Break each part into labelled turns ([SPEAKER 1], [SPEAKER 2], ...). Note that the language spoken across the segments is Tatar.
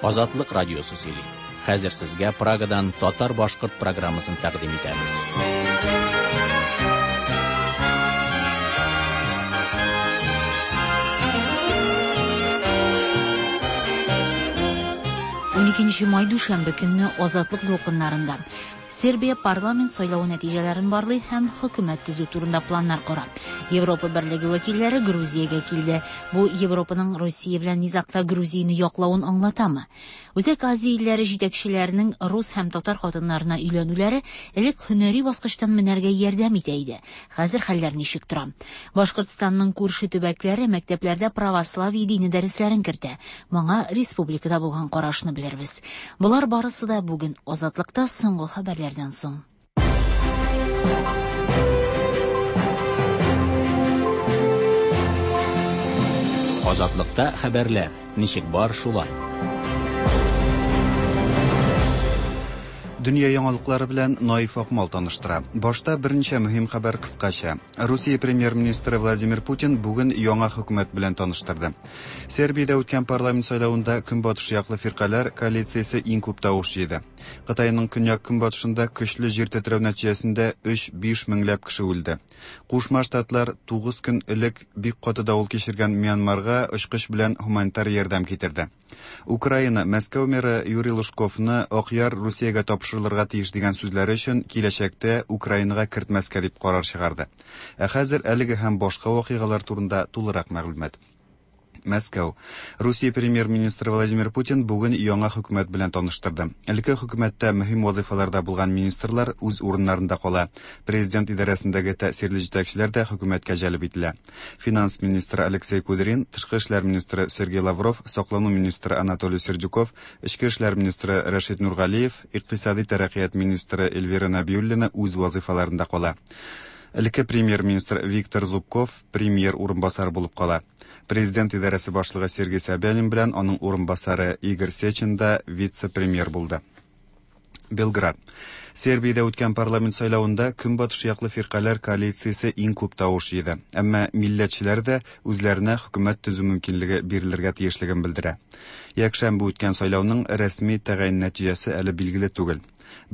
[SPEAKER 1] Азатлык радиосы сөйли. Хәзер сезгә Прагадан татар-башкорт программасын тәкъдим итәбез.
[SPEAKER 2] Уникенче май дүшәмбе көнне Азатлык дулкыннарында Сербия парламент сайлавы нәтиҗәләрен барлый һәм хөкүмәт төзү турында планнар кора. Европа Берлеге вәкилләре Грузиягә килде. Бу Европаның Русия белән низагта Грузияне яклавын аңлатамы? Үзәк Азия илләре җитәкчеләренең рус һәм татар хатыннарына өйләнүләре элек һөнәри баскычтан менәргә ярдәм итә иде. Хәзер хәлләр ничек тора? Башкортстанның күрше төбәкләре мәктәпләрдә православие дине дәресләрен кертә. Моңа республикада булган карашны белербез. Болар барысы да бүген Азатлыкта соңгы хәбәрләрдән соң.
[SPEAKER 1] Азатлыкта хәбәрләр ничек бар шулай.
[SPEAKER 3] Дөнья яңалыклары белән Наиф Акмал таныштыра. Башта берничә мөһим хәбәр кыскача. Русия премьер-министры Владимир Путин бүген яңа хөкүмәт белән таныштырды. Сербиядә үткән парламент сайлавында Көнбатыш яклы фиркаләр коалициясе иң күп тавыш җыйды. Кытайның көньяк-көнбатышында көчле җир тетрәү нәтиҗәсендә 3-5 меңләп кеше үлде. Кушма Штатлар 9 көн элек бик каты давыл кичергән Мьянмарга очкыч белән гуманитар ярдәм китерде. Украина Мәскәү мэры Юрий Лужковны Акъяр Русиягә тапшырылырга тиеш дигән сүзләре өчен киләчәктә Украинага кертмәскә дип карар чыгарды. Ә хәзер әлеге һәм башка вакыйгалар турында тулырак мәгълүмат. Мәскәү. Русия премьер-министры Владимир Путин бүген яңа хөкүмәт белән таныштырды. Элекке хөкүмәттә мөһим вазыйфаларда булган министрлар үз урыннарында кала. Президент идарәсендәге тәэсирле җитәкчеләр дә хөкүмәткә җәлеп ителә. Финанс министры Алексей Кудрин, тышкы эшләр министры Сергей Лавров, саклану министры Анатолий Сердюков, эчке эшләр министры Рәшит Нургалиев, икътисади тәрәккыят министры Эльвира Нәбиуллина үз вазыйфаларында кала. Элекке премьер-министр Виктор Зубков премьер урынбасары булып кала. Президент идарәсе башлыгы Сергей Собянин белән аның урынбасары Игорь Сечин да вице-премьер булды. Белград. Сербиядә үткән парламент сайлавында Көнбатыш яклы фиркаләр коалициясе иң күп тавыш җыйды. Әмма милләтчеләр дә үзләренә хөкүмәт төзү мөмкинлеге бирелергә тиешлеген белдерә. Якшәмбе үткән сайлауның рәсми тәгаен нәтиҗәсе әле билгеле түгел.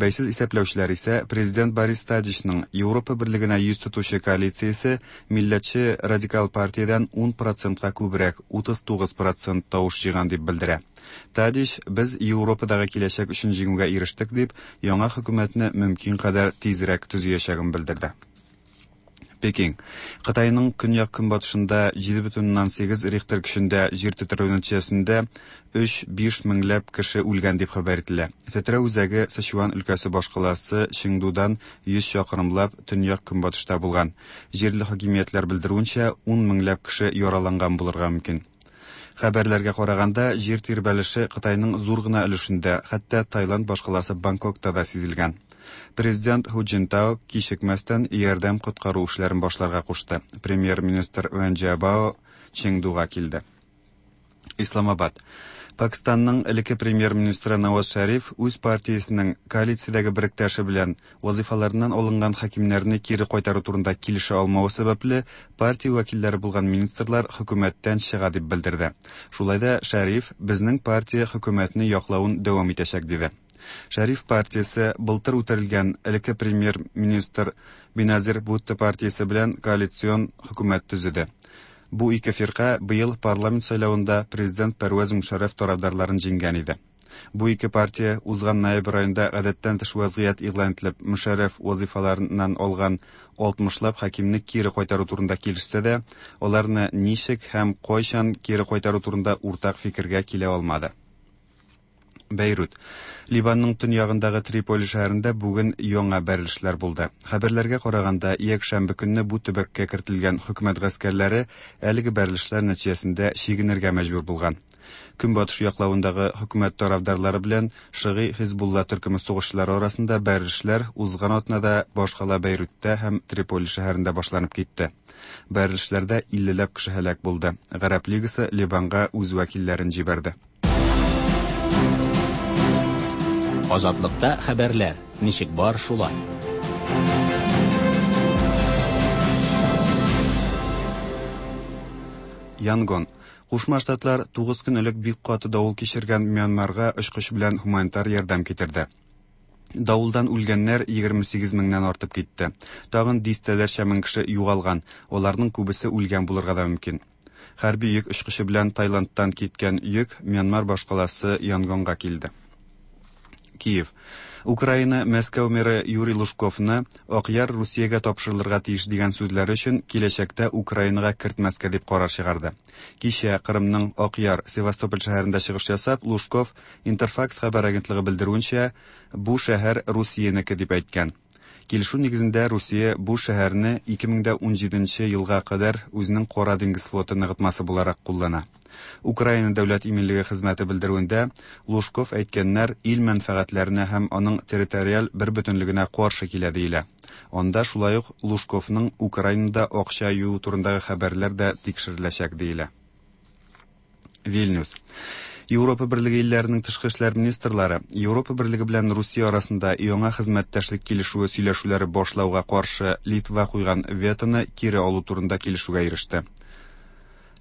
[SPEAKER 3] Бәйсез исәпләүчеләр исә президент Борис Тадичның Европа берлегенә йөз тотучы коалициясе милләтче радикал партиядән 10 процентка күбрәк, 39 процент тавыш җыйган дип белдерә. Тадич, без Европадагы киләчәк өчен җиңүгә ирештек дип, яңа хөкүмәтне мөмкин кадәр тизрәк төзиячәген белдерде. Пекин. Кытайның көньяк-көнбатышында 7,8 Рихтер көчендә җир тетрәү нәтиҗәсендә 3-5 меңләп кеше үлгән дип хәбәр ителә. Тетрәү үзәге Сычуан өлкәсе башкаласы Чеңдудан 100 чакрымлап төньяк-көнбатышта булган. Җирле хакимиятләр белдерүенчә, 10 меңләп кеше яраланган булырга мөмкин. Хәбәрләргә караганда, җир тирбәлеше Кытайның зур гына өлешендә, хәтта Таиланд башкаласы Бангкокта да сизелгән. Президент Ху Цзиньтао кичекмәстән ярдәм-коткару эшләрен башларга кушты. Премьер-министр Вэн Джиабао Чеңдуга килде. Исламабад. Пакистанның элекке премьер-министры Наваз Шәриф үз партиясенең коалициядәге беректәше белән вазыйфаларыннан алынган хакимнәрне кире кайтару турында килешә алмавы сәбәпле, партия вәкилләре булган министрлар хөкүмәттән чыга дип белдерде. Шулай да Шәриф безнең партия хөкүмәтне яклавын дәвам итәчәк диде. Шәриф партиясе былтыр үтерелгән элекке премьер-министр Беназир Бутто партиясе белән коалицион хөкүмәт төзеде. Бу ике фирка быел парламент сайлавында президент Пәрвәз Мушәррәф тарафдарларын җиңгән иде. Бу ике партия узган ноябрь аенда гадәттән тыш вазгыять игълан ителеп, Мушәррәф вазыйфаларыннан алган 60лап хакимне кире кайтару турында килешсә дә, аларны ничек һәм кайчан кире кайтару турында уртак фикергә килә алмады. Бәйрут. Ливанның төньягындагы Триполи шәһәрендә бүген яңа бәрелешләр булды. Хәбәрләргә караганда, якшәмбе көнне бу төбәккә кертелгән хөкүмәт гаскәрләре әлеге бәрелешләр нәтиҗәсендә чигенергә мәҗбүр булган. Көнбатыш яклавындагы хөкүмәт тарафдарлары белән Шыгый Хизбулла төркеме сугышчылары арасында бәрелешләр узган атнада башкала Бәйрутта һәм Триполи шәһәрендә башланып китте. Бәрелешләрдә 50ләп кеше һәлак булды. Гарәп лигасы Ливанга үз вәкилләрен җибәрде.
[SPEAKER 1] Азатлыкта хәбәрләр ничек бар шулай.
[SPEAKER 3] Янгон. Кушма Штатлар 9 көн элек бик каты давыл кичергән Мьянмарга очкыч белән һуманитар ярдәм китерде. Давылдан үлгәннәр 28 меңнән артып китте. Тагын дистәләрчә мең кеше югалган, аларның күбесе үлгән булырга да мөмкин. Хәрби йөк очкычы белән Таиландтан киткән йөк Мьянмар башкаласы Янгонга килде. Киев. Украина Мәскәү мэры Юрий Лужковны Акъяр Русиягә тапшырылырга тиеш дигән сүзләре өчен киләчәктә Украинага кертмәскә дип карар чыгарды. Кичә Кырымның Акъяр, Севастополь шәһәрендә чыгыш ясап, Лужков Интерфакс хәбәр агентлыгы белдерүенчә, бу шәһәр Русиянеке дип әйткән. Килешү нигезендә Русия бу шәһәрне 2017 нче елга кадәр үзенең Кара диңгез флоты ныгытмасы буларак куллана. Украина дәүләт иминлеге хезмәте белдерүендә, Лужков әйткәннәр ил мәнфәгатьләренә һәм аның территориаль бербөтенлегенә каршы килә диелә. Анда шулай ук Лужковның Украинада акча юуу турындагы хәбәрләр дә тикшереләчәк диелә. Вильнюс. Европа Берлеге илләренең тышкы эшләр министрлары Европа Берлеге белән Русия арасында яңа хезмәттәшлек килешүе сөйләшүләре башлауга каршы Литва куйган ветоны кире алу турында килешүгә иреште.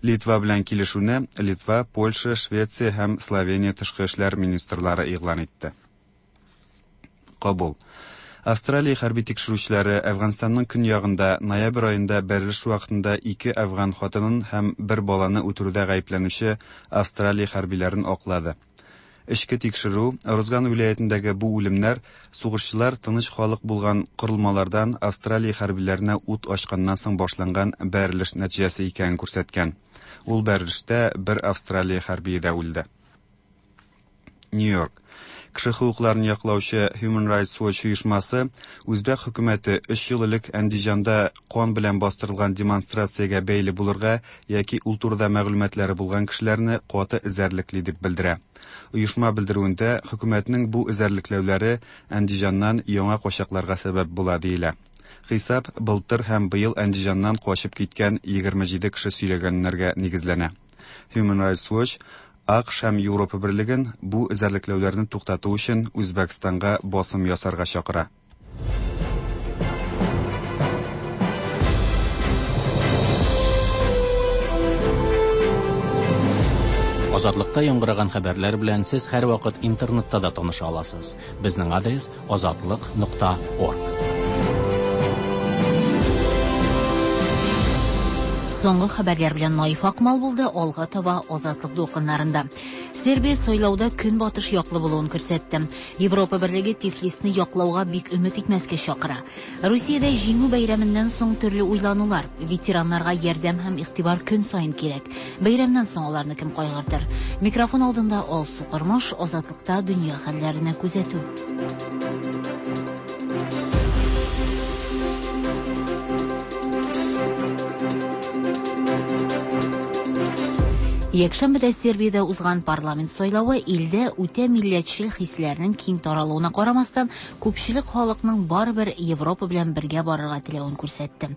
[SPEAKER 3] Литва белән килешүне Литва, Польша, Швеция һәм Словения тышкы эшләр министрлары игълан итте. Кабул. Австралия хәрби тикшерүчеләре Әфганстанның көньягында ноябрь аенда бәрелеш вакытында ике әфган хатынын һәм бер баланы үтерүдә гаепләнүче Австралия хәрбиләрен аклады. Эчке тикшерү Орузган вилаятендәге бу үлемнәр сугышчылар тыныч халык булган корылмалардан Австралия хәрбиләренә ут ачканнан соң башланган бәрелеш нәтиҗәсе икәнен күрсәткән. Ул бәрелештә бер Австралия хәрбие дә үлде. Нью-Йорк. Кеше хокукларын яклаучы Human Rights Watch оешмасы үзбәк хөкүмәте өч ел элек Әндиҗанда кан белән бастырылган демонстрациягә бәйле булырга яки ул турыда мәгълүматлары булган кешеләрне каты эзәрлекли дип белдерә. Оешма белдерүендә хөкүмәтнең бу эзәрлекләүләре Әндиҗаннан яңа качакларга сәбәп була диелә. Хисап былтыр һәм быел Әндиҗаннан качып киткән 27 кеше сөйләгәннәргә нигезләнә. Human Rights Watch АКШ һәм Европа Берлеген бу эзәрлекләүләрне туктату өчен Үзбәкстанга басым ясарга чакыра.
[SPEAKER 1] Азатлыкта яңгыраган хәбәрләр белән сез һәрвакыт интернетта да таныша аласыз. Безнең адрес азатлык.орг.
[SPEAKER 2] Соңгы хәбәрләр белән Наиф Акмал булды, алга таба Азатлык дулкыннарында. Сербия сайлауда көнбатыш яклы булуын күрсәтте. Европа Берлеге Тифлисны яклауга бик өмет итмәскә чакыра. Русиядә җиңү бәйрәменнән соң төрле уйланулар. Ветераннарга ярдәм һәм игътибар көн саен кирәк. Бәйрәмнән соң аларны кем кайгыртыр? Микрофон алдында Алсу Кормаш, Азатлыкта дөнья хәлләренә күзәтү. Якшәмбедә Сербиядә узган парламент сайлавы илдә үтә милләтчел хисләрнең киң таралуына карамастан, күпчелек халыкның барыбер Европа белән бергә барырга теләвен күрсәтте.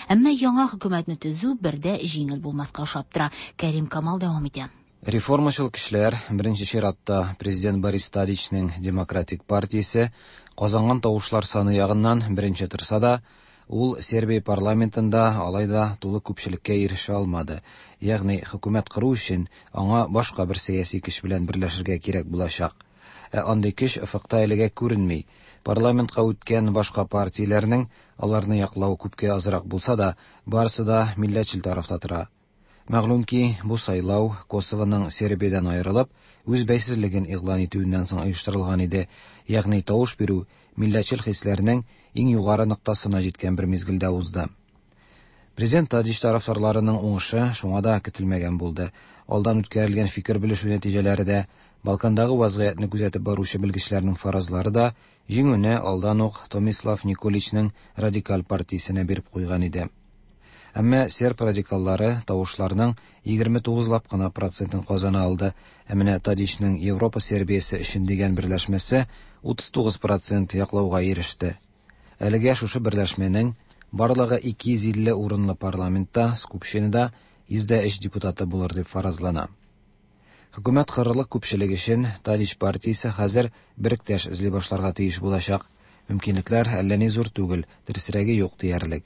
[SPEAKER 2] Әмма яңа хөкүмәтне төзү бер дә җиңел булмаска ошап тора. Кәрим Камал дәвам итә.
[SPEAKER 4] Реформачыл көчләр, беренче чиратта президент Борис Тадичның Демократик партиясе, казанган тавышлар саны ягыннан беренче торса да, ул Сербия парламентында алай да тулы күпчелеккә ирешә алмады. Ягъни хөкүмәт кору өчен аңа башка бер сәяси көч белән берләшергә кирәк булачак. Ә андый көч офыкта әлегә күренми. Парламентка үткән башка партияләрнең аларны яклау күпкә азрак булса да, барысы да милләтчел тарафта тора. Мәгълүм ки, бу сайлау Косовоның Сербиядән аерылып, үз бәйсезлеген игълан итүеннән соң оештырылган иде. Ягъни тавыш бирү милләтчел хисләрнең иң югары ноктасына җиткән бер мизгелдә узды. Президент Тадич тарафдарларының уңышы шуңа да көтелмәгән булды. Алдан үткәрелгән фикер белешү нәтиҗәләре дә, Балкандагы вазгыятьне күзәтеп баручы белгечләрнең фаразлары да җиңүне алдан ук Томислав Николичның радикаль партиясенә биреп куйган иде. Әмма серб радикаллары тавышларның 29 лап кына процентын казана алды. Ә менә Тадичның Европа Сербиясе өчен дигән берләшмәсе 39 процент яклауга иреште. Әлегә шушы берләшмәнең барлыгы 250 урынлы парламентта, Скупщинада 103 депутаты булыр дип фаразлана. Хөкүмәт корырлык күпчелек өчен Тадич партиясе хәзер беректәш эзли башларга тиеш булачак. Мөмкинлекләр әллә ни зур түгел, дөресрәге юк диярлек.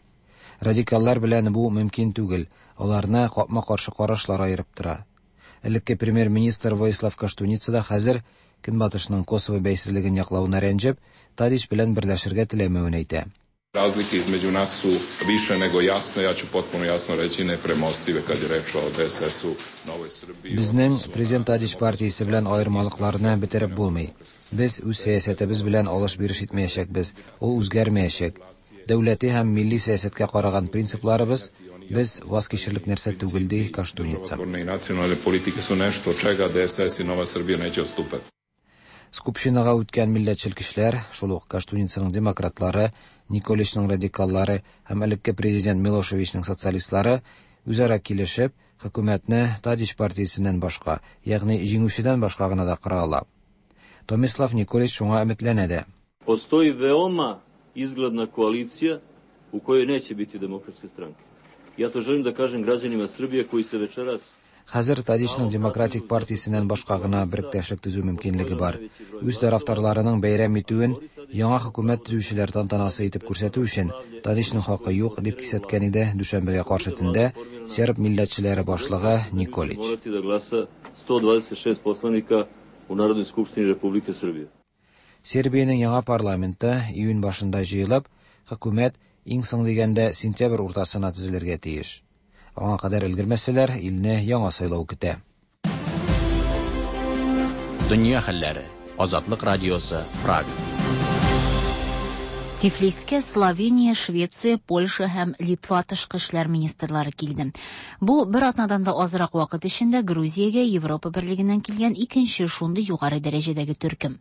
[SPEAKER 4] Радикаллар белән бу мөмкин түгел, аларны капма-каршы карашлар аерып тора. Элекке премьер-министр Воислав Коштуница да хәзер Көнбатышның Косово бәйсезлеген яклавына рәнҗеп, Тадич белән берләшергә теләмәвен әйтә.
[SPEAKER 5] Razlike između nas su više nego jasne, ja ću potpuno jasno reći nepremostive kad je reč o DSS-u, Novoj Srbiji.
[SPEAKER 4] Безнең президент Тадич партиясе белән аермалыкларны бетереп булмый. Без үз сәясәтебез белән алыш-биреш итмәячәкбез, ул үзгәрмәячәк. Дәүләти һәм милли сәясәткә караган принципларыбыз без ваз кичерлек нәрсә түгел, ди Коштуница.
[SPEAKER 5] I nacionalne politike su nešto od čega DSS i Nova Srbija neće odstupati.
[SPEAKER 4] Скупщинага үткән милләтчел көчләр, шул ук Коштуницаның демократлары, Николичның радикаллары һәм элекке президент Милошевичның социалистлары үзара килешеп, хөкүмәтне Тадич партиясеннән башка, ягъни җиңүчедән башка гына да кора ала. Томислав Николич шуңа өметләнә дә.
[SPEAKER 6] Postoji veoma izgledna koalicija u kojoj neće biti demokratske stranke. Ja to želim da kažem građanima Srbije koji se večeras
[SPEAKER 4] Хәзер Тадичның Демократик партиясеннән башка гына беректәшлек төзү мөмкинлеге бар. Үз тарафдарларының бәйрәм итүен яңа хөкүмәт төзүчеләр тантанасы итеп күрсәтү өчен Тадичның хакы юк, дип кисәткән иде дүшәмбегә каршы төндә серб милләтчеләре башлыгы Николич.
[SPEAKER 6] morati da glasa 126 poslanika u Narodnoj skupštini Republike Srbije.
[SPEAKER 4] Сербиянең яңа парламенты июнь башында җыелып, хөкүмәт иң соң дигәндә сентябрь уртасына төзелергә тиеш. Аңа кадәр өлгермәсәләр, илне яңа сайлау көтә.
[SPEAKER 1] Дөнья хәлләре. Азатлык радиосы, Прага.
[SPEAKER 2] Тифлискә Словения, Швеция, Польша һәм Литва тышкы эшләр министрлары килде. Бу бер атнадан да азрак вакыт эчендә Грузиягә Европа берлегеннән килгән икенче шундый югары дәрәҗәдәге төркем.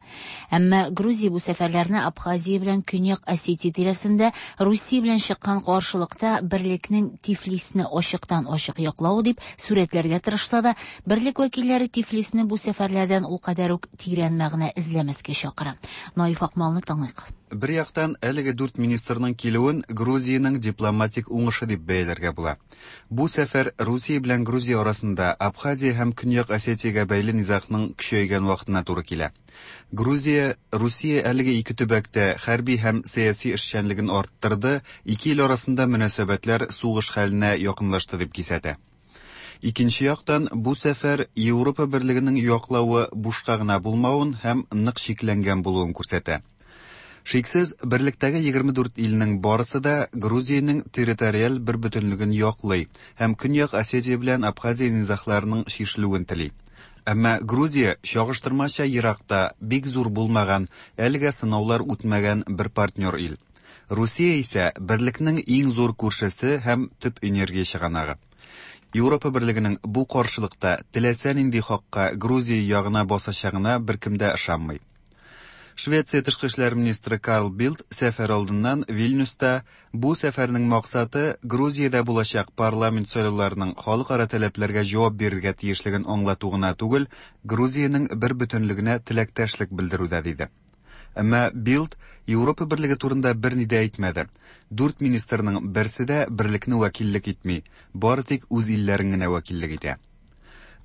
[SPEAKER 2] Әмма Грузия бу сәфәрләрне Абхазия белән Көньяк Осетия тирәсендә Русия белән чыккан каршылыкта берлекнең Тифлисне ачыктан-ачык яклавы дип сурәтләргә тырышса да, берлек вәкилләре Тифлисне бу сәфәрләрдән ул кадәр үк тирән мәгънә эзләмәскә чакыра. Наиф Акмалны тыңлыйк.
[SPEAKER 3] Бер яктан, әлеге дүрт министрның килүен Грузиянең дипломатик уңышы дип бәяләргә була. Бу сәфәр Русия белән Грузия арасында Абхазия һәм Көньяк Осетиягә бәйле низагның көчәйгән вакытына туры килә. Грузия, Русия әлеге ике төбәктә хәрби һәм сәяси эшчәнлеген арттырды, ике ил арасында мөнәсәбәтләр сугыш хәленә якынлашты дип кисәтә. Икенче яктан, бу сәфәр Европа берлегенең яклавы бушка гына булмавын һәм нык чикләнгән булуын күрсәтә. Шиксез, берлектәге 24 илнең барысы да Грузиянең территориаль бербөтенлеген яклый һәм Көньяк Осетия белән Абхазия низагларының чишелүен тели. Әмма Грузия чагыштырмача еракта, бик зур булмаган, әлегә сынаулар үтмәгән бер партнер ил. Русия исә берлекнең иң зур күршесе һәм төп энергия чыганагы. Европа берлегенең бу каршылыкта теләсә нинди хакка Грузия ягына басачагына беркем дә ышанмый. Швеция тышкы эшләр министры Карл Билд сәфәр алдыннан Вильнюста бу сәфәрнең максаты Грузиядә булачак парламент сайлауларының халыкара таләпләргә җавап бирергә тиешлеген аңлату гына түгел, Грузиянең бер бөтенлегенә теләктәшлек белдерү дә диде. Әмма Билд Европа берлеге турында берни дә әйтмәде. Дүрт министрның берсе дә берлекне вәкиллек итми, бары тик үз илләрен генә вәкиллек итә.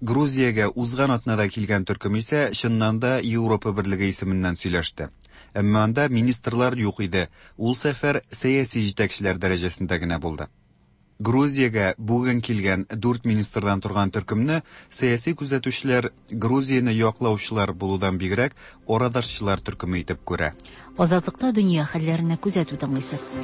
[SPEAKER 3] Грузиягә узган атнада килгән төркем исә чыннан да Европа берлеге исеменнән сөйләште. Әмма анда министрлар юк иде. Ул сәфәр сәяси җитәкчеләр дәрәҗәсендә генә булды. Грузиягә бүген килгән дүрт министрдан торган төркемне сәяси күзәтүчеләр Грузияне яклаучылар булудан бигрәк арадашчылар төркеме итеп күрә.
[SPEAKER 2] Азатлыкта дөнья хәлләренә күзәтү тыңлыйсыз.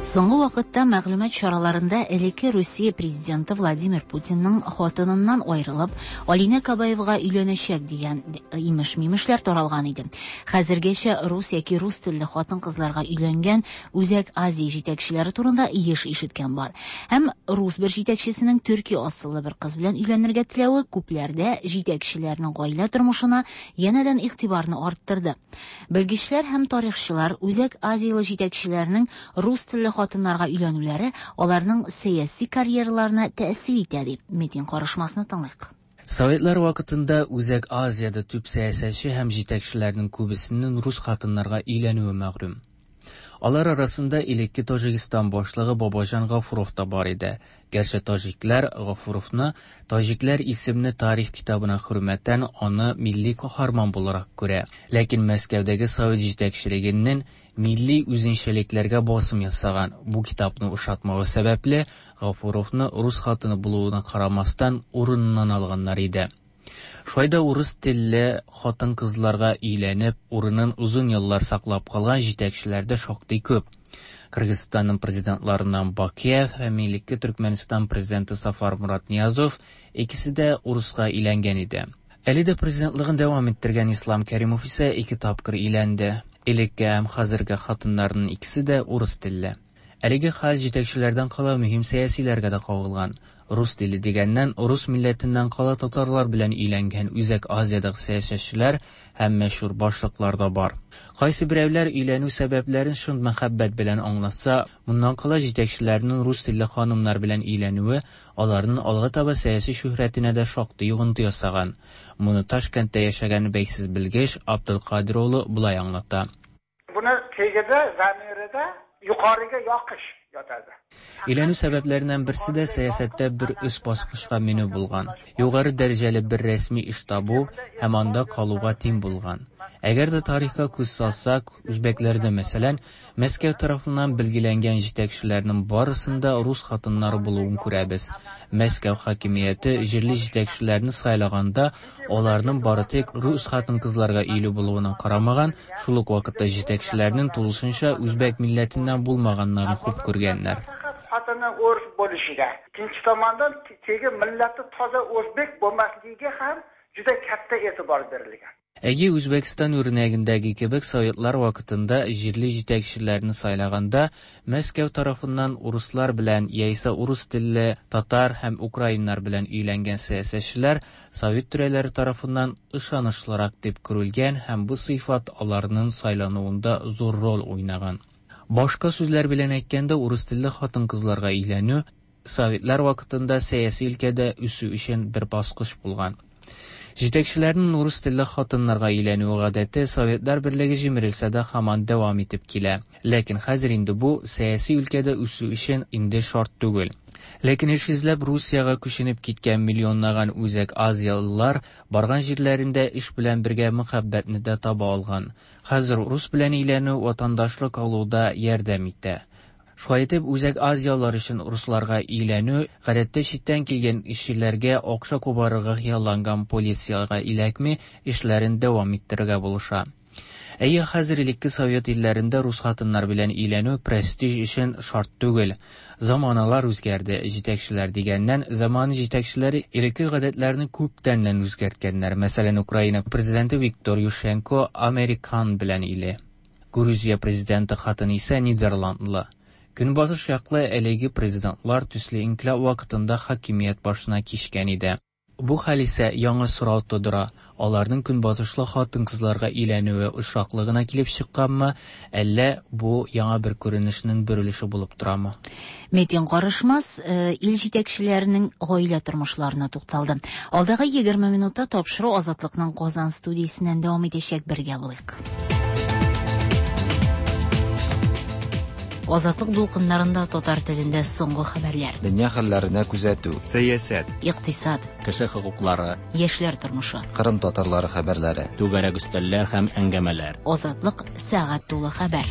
[SPEAKER 2] Соңгы вакытта мәгълүмат чараларында элекке Русия президенты Владимир Путинның хатыныннан аерылып, Алинә Кабаевага өйләнәчәк дигән имеш-мимешләр таралган иде. Хәзергәчә рус яки рус телле хатын-кызларга өйләнгән Үзәк Азия җитәкчеләре турында еш ишеткән бар. Һәм рус бер җитәкчесенең төрки асыллы бер кыз белән өйләнергә теләве күпләрдә җитәкчеләрнең гаилә тормышына янәдән игътибарны арттырды. Белгечләр һәм тарихчылар Үзәк Азиялы җитәкчеләрнең рус телле хатыннарга өйләнүләре аларның сәяси карьераларына тәэсир итә дип Метин карышмасны тыңлыйк.
[SPEAKER 7] Советлар вакытында Үзәк Азиядә төп сәясәтче һәм җитәкчеләрнең күбесенең рус хатыннарга өйләнүе мәгълүм. Алар арасында элекке Таҗикстан башлыгы Бабаҗан Гафуров та бар иде. Гәрчә таҗикләр Гафуровны Таҗикләр исемле тарих китабына хөрмәтән аны милли каһарман буларак күрә. Ләкин Мәскәүдәге совет җитәкчелегеннән милли үзенчәлекләргә басым ясаган бу китапны ошатмавы сәбәпле, Гафуровны рус хатыны булуына карамастан урыныннан алганнар иде. Шулай да урыс телле хатын-кызларга өйләнеп, урынын озын еллар саклап калган җитәкчеләр дә шактый күп. Кыргызстанның президентларыннан Бакиев һәм элекке Төркмәнстан президенты Сафар Мурат Ниязов икесе дә урыска өйләнгән иде. Әле дә президентлыгын дәвам иттергән Ислам Кәримов исә ике тапкыр өйләнде. Элекке һәм хәзерге хатыннарының икесе дә урыс телле. Әлеге хәл җитәкчеләрдән кала мөһим сәясиләргә дә кагылган. Рус теле дигәннән, рус милләтеннән кала татарлар белән өйләнгән Үзәк Азиядәге сәясәтчеләр һәм мәшһүр башлыклар да бар. Кайсы берәүләр өйләнү сәбәпләрен чын мәхәббәт белән аңлатса, моннан кала җитәкчеләрнең рус телле ханымнар белән өйләнүе аларның алга таба сәяси шөһрәтенә дә шактый йогынты ясаган. Моны Ташкентта яшәгән бәйсез белгеч Абдулкадир улы болай аңлата.
[SPEAKER 8] Buni tagida, zamirida yuqoriga yoqish yotadi.
[SPEAKER 7] Өйләнү сәбәпләреннән берсе дә сәясәттә бер өс баскычка менү булган. Югары дәрәҗәле бер рәсми эш табу һәм анда калуга тиң булган. Әгәр дә тарихка күз салсак, үзбәкләрдә, мәсәлән, Мәскәү тарафыннан билгеләнгән җитәкчеләрнең барысында рус хатыннары булуын күрәбез. Мәскәү хакимияте җирле җитәкчеләрне сайлаганда, аларның бары тик рус хатын-кызларга өйле булуына карамаган, шул ук вакытта җитәкчеләрнең тулысынча үзбәк милләтеннән булмаганнарын хуп күргәннәр.
[SPEAKER 8] Xotini o'ris bo'lishiga, ikkinchi tomondan tegi millati toza o'zbek bo'lmasligiga ham juda katta e'tibor berilgan.
[SPEAKER 7] Әйе, Үзбәкстан үрнәгендәге кебек советлар вакытында җирле җитәкчеләрне сайлаганда Мәскәү тарафыннан урыслар белән яисә урыс телле татар һәм украиннар белән өйләнгән сәясәтчеләр совет түрәләре тарафыннан ышанычлырак дип күрелгән һәм бу сыйфат аларның сайлануында зур роль уйнаган. Башка сүзләр белән әйткәндә, урыс телле хатын-кызларга өйләнү советлар вакытында сәяси өлкәдә үсү өчен бер баскыч булган. Җитәкчеләрнең урыс телле хатыннарга өйләнүе гадәте Советлар берлеге җимерелсә дә һаман дәвам итеп килә. Ләкин хәзер инде бу сәяси өлкәдә үсү өчен инде шарт түгел. Ләкин эш эзләп Русиягә күченеп киткән миллионлаган Үзәк Азиялылар барган җирләрендә эш белән бергә мәхәббәтне дә таба алган. Хәзер рус белән өйләнү ватандашлык алуда ярдәм итә. Шулай итеп, Үзәк Азиялылар өчен русларга өйләнү гадәттә читтән килгән эшчеләргә акча кубарырга хыялланган полициягә эләкми, эшләрен дәвам иттерергә булыша. Әйе, хәзер элекке совет илләрендә рус хатыннар белән өйләнү престиж өчен шарт түгел. Заманалар үзгәрде, җитәкчеләр дигәннән, заман җитәкчеләре элекке гадәтләрне күптәннән үзгәрткәннәр. Мәсәлән, Украина президенты Виктор Ющенко американ белән иле. Грузия президенты хатыны исә нидерландлы. Көнбатыш яклы әлеге президентлар төсле инкыйлаб вакытында хакимият башына кичкән иде. Бу хәл исә яңа сорау тудыра. Аларның көнбатышлы хатын-кызларга өйләнүе очраклы гына килеп чыкканмы, әллә бу яңа бер күренешнең бер өлеше булып торамы?
[SPEAKER 2] Метин Карышмас ил җитәкчеләренең гаилә тормышларына тукталды. Алдагы 20 минутта тапшыру Азатлыкның Казан студиясеннән дәвам итәчәк, бергә булыйк. Азатлык дулкыннарында татар телендә соңгы хәбәрләр.
[SPEAKER 4] Дөнья хәлләренә күзәтү.
[SPEAKER 3] Сәясәт.
[SPEAKER 2] Икътисад.
[SPEAKER 1] Кеше хокуклары.
[SPEAKER 2] Яшьләр тормышы.
[SPEAKER 4] Кырым татарлары хәбәрләре.
[SPEAKER 1] Түгәрәк өстәлләр һәм әңгәмәләр.
[SPEAKER 2] Азатлык сәгать тулы хәбәр.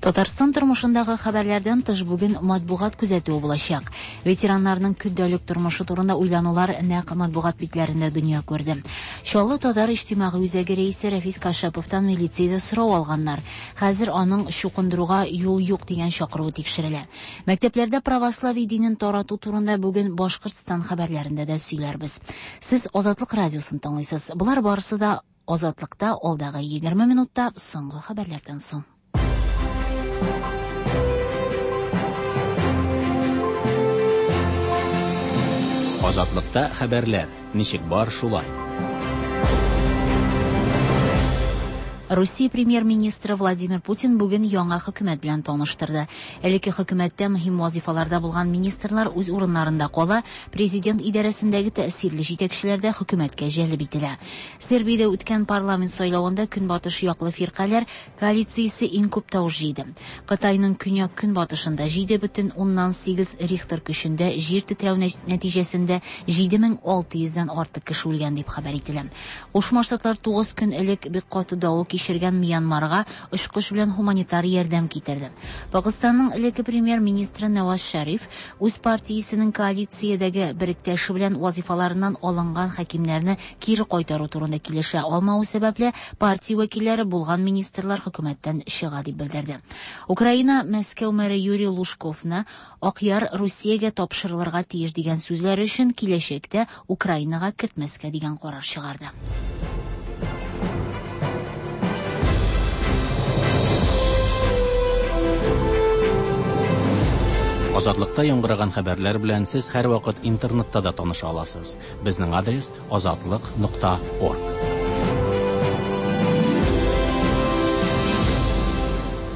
[SPEAKER 2] Татарстан тормышындагы хәбәрләрдән тыш бүген матбугат күзәтүе булачак. Ветераннарның көндәлек тормышы турында уйланулар нәкъ матбугат битләрендә дөнья күрде. Чаллы татар иҗтимагый үзәге рәисе Рәфис Кашаповтан милициядә сорау алганнар. Хәзер аның чукындыруга юл юк дигән чакыруы тикшерелә. Мәктәпләрдә православие динен тарату турында бүген Башкортстан хәбәрләрендә дә сөйләрбез. Сез Азатлык радиосын тыңлыйсыз. Болар барысы да Азатлыкта алдагы 20 минутта соңгы хәбәрләрдән соң.
[SPEAKER 1] Азатлыкта хәбәрләр. Ничек бар шулай.
[SPEAKER 2] Русия премьер-министры Владимир Путин бүген яңа хөкүмәт белән таныштырды. Элекке хөкүмәттә мөһим вазифаларда булган министрлар үз урыннарында кала, президент идарәсендәге тәэсирле җитәкчеләр дә хөкүмәткә җәлеп ителә. Сербиядә үткән парламент сайлавында көнбатыш яклы фиркаләр коалициясе иң күп тавыш җыйды. Кытайның көньяк-көнбатышында 7,8 Рихтер көчендә җир тетрәү нәтиҗәсендә 7600 дән артык кеше үлгән дип хәбәр ителә. Кушма Штатлар 9 көн элек бик каты давыл кичергән Мьянмарга очкыч белән һуманитар ярдәм китерде. Пакыстанның элекке премьер-министры Наваз Шәриф үз партиясенең коалициядәге беректәше белән вазифаларыннан алынган хакимнәрне кире кайтару турында килешә алмавы сәбәпле, партия вәкилләре булган министрлар хөкүмәттән чыга дип белдерде. Украина Мәскәү мэры Юрий Лужковны Акъяр Русиягә тапшырылырга тиеш дигән сүзләре өчен киләчәктә Украинага кертмәскә дигән карар чыгарды.
[SPEAKER 1] Азатлыкта яңгыраган хәбәрләр белән сез һәрвакыт интернетта да таныша аласыз. Безнең адрес азатлык.орг.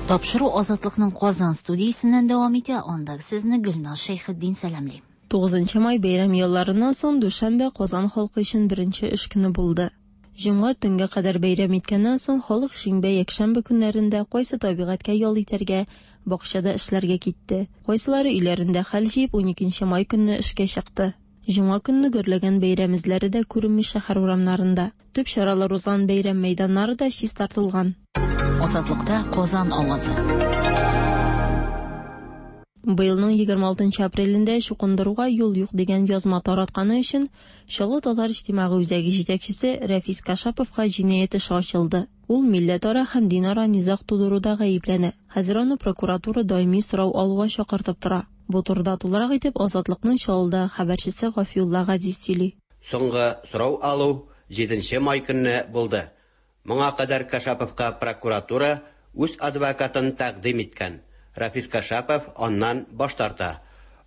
[SPEAKER 2] Тапшыру Азатлыкның Казан студиясеннән дәвам итә. Анда сезне Гөлназ Шәйхетдин сәламли.
[SPEAKER 9] 9 май бәйрәм ялларыннан соң дүшәмбе Казан халкы өчен беренче эш көне булды. Җомга төнгә кадәр бәйрәм иткәннән соң халык шимбә, якшәмбе көннәрендә кайсы табигатькә ял итәргә, бакчада эшләргә китте. Кайсылары өйләрендә хәл җыеп 12 май көнне эшкә чыкты. Җомга көнне гөрләгән бәйрәм эзләре дә күренми шәһәр урамнарында. Төп чаралар узган бәйрәм мәйданнары да чистартылган.
[SPEAKER 2] Азатлыкта Казан авазы.
[SPEAKER 9] Быелның 26 апрелендә чукындыруга юл юк дигән язма таратканы өчен Чаллы татар иҗтимагый үзәге җитәкчесе Рәфис Кашаповка җинаять эше ачылды. Ул милләтара һәм динара низаг тудыруда гаепләнә. Хәзер аны прокуратура даими сорау алуга чакыртып тора. Бу турыда тулырак итеп Азатлыкның Чаллыдагы хәбәрчесе Гафиулла Газиз сөйли.
[SPEAKER 10] Соңгы сорау алу 7 май көнне булды. Моңа кадәр Кашаповка прокуратура үз адвокатын тәкъдим иткән. Рафис Кашапов аннан баш тарта.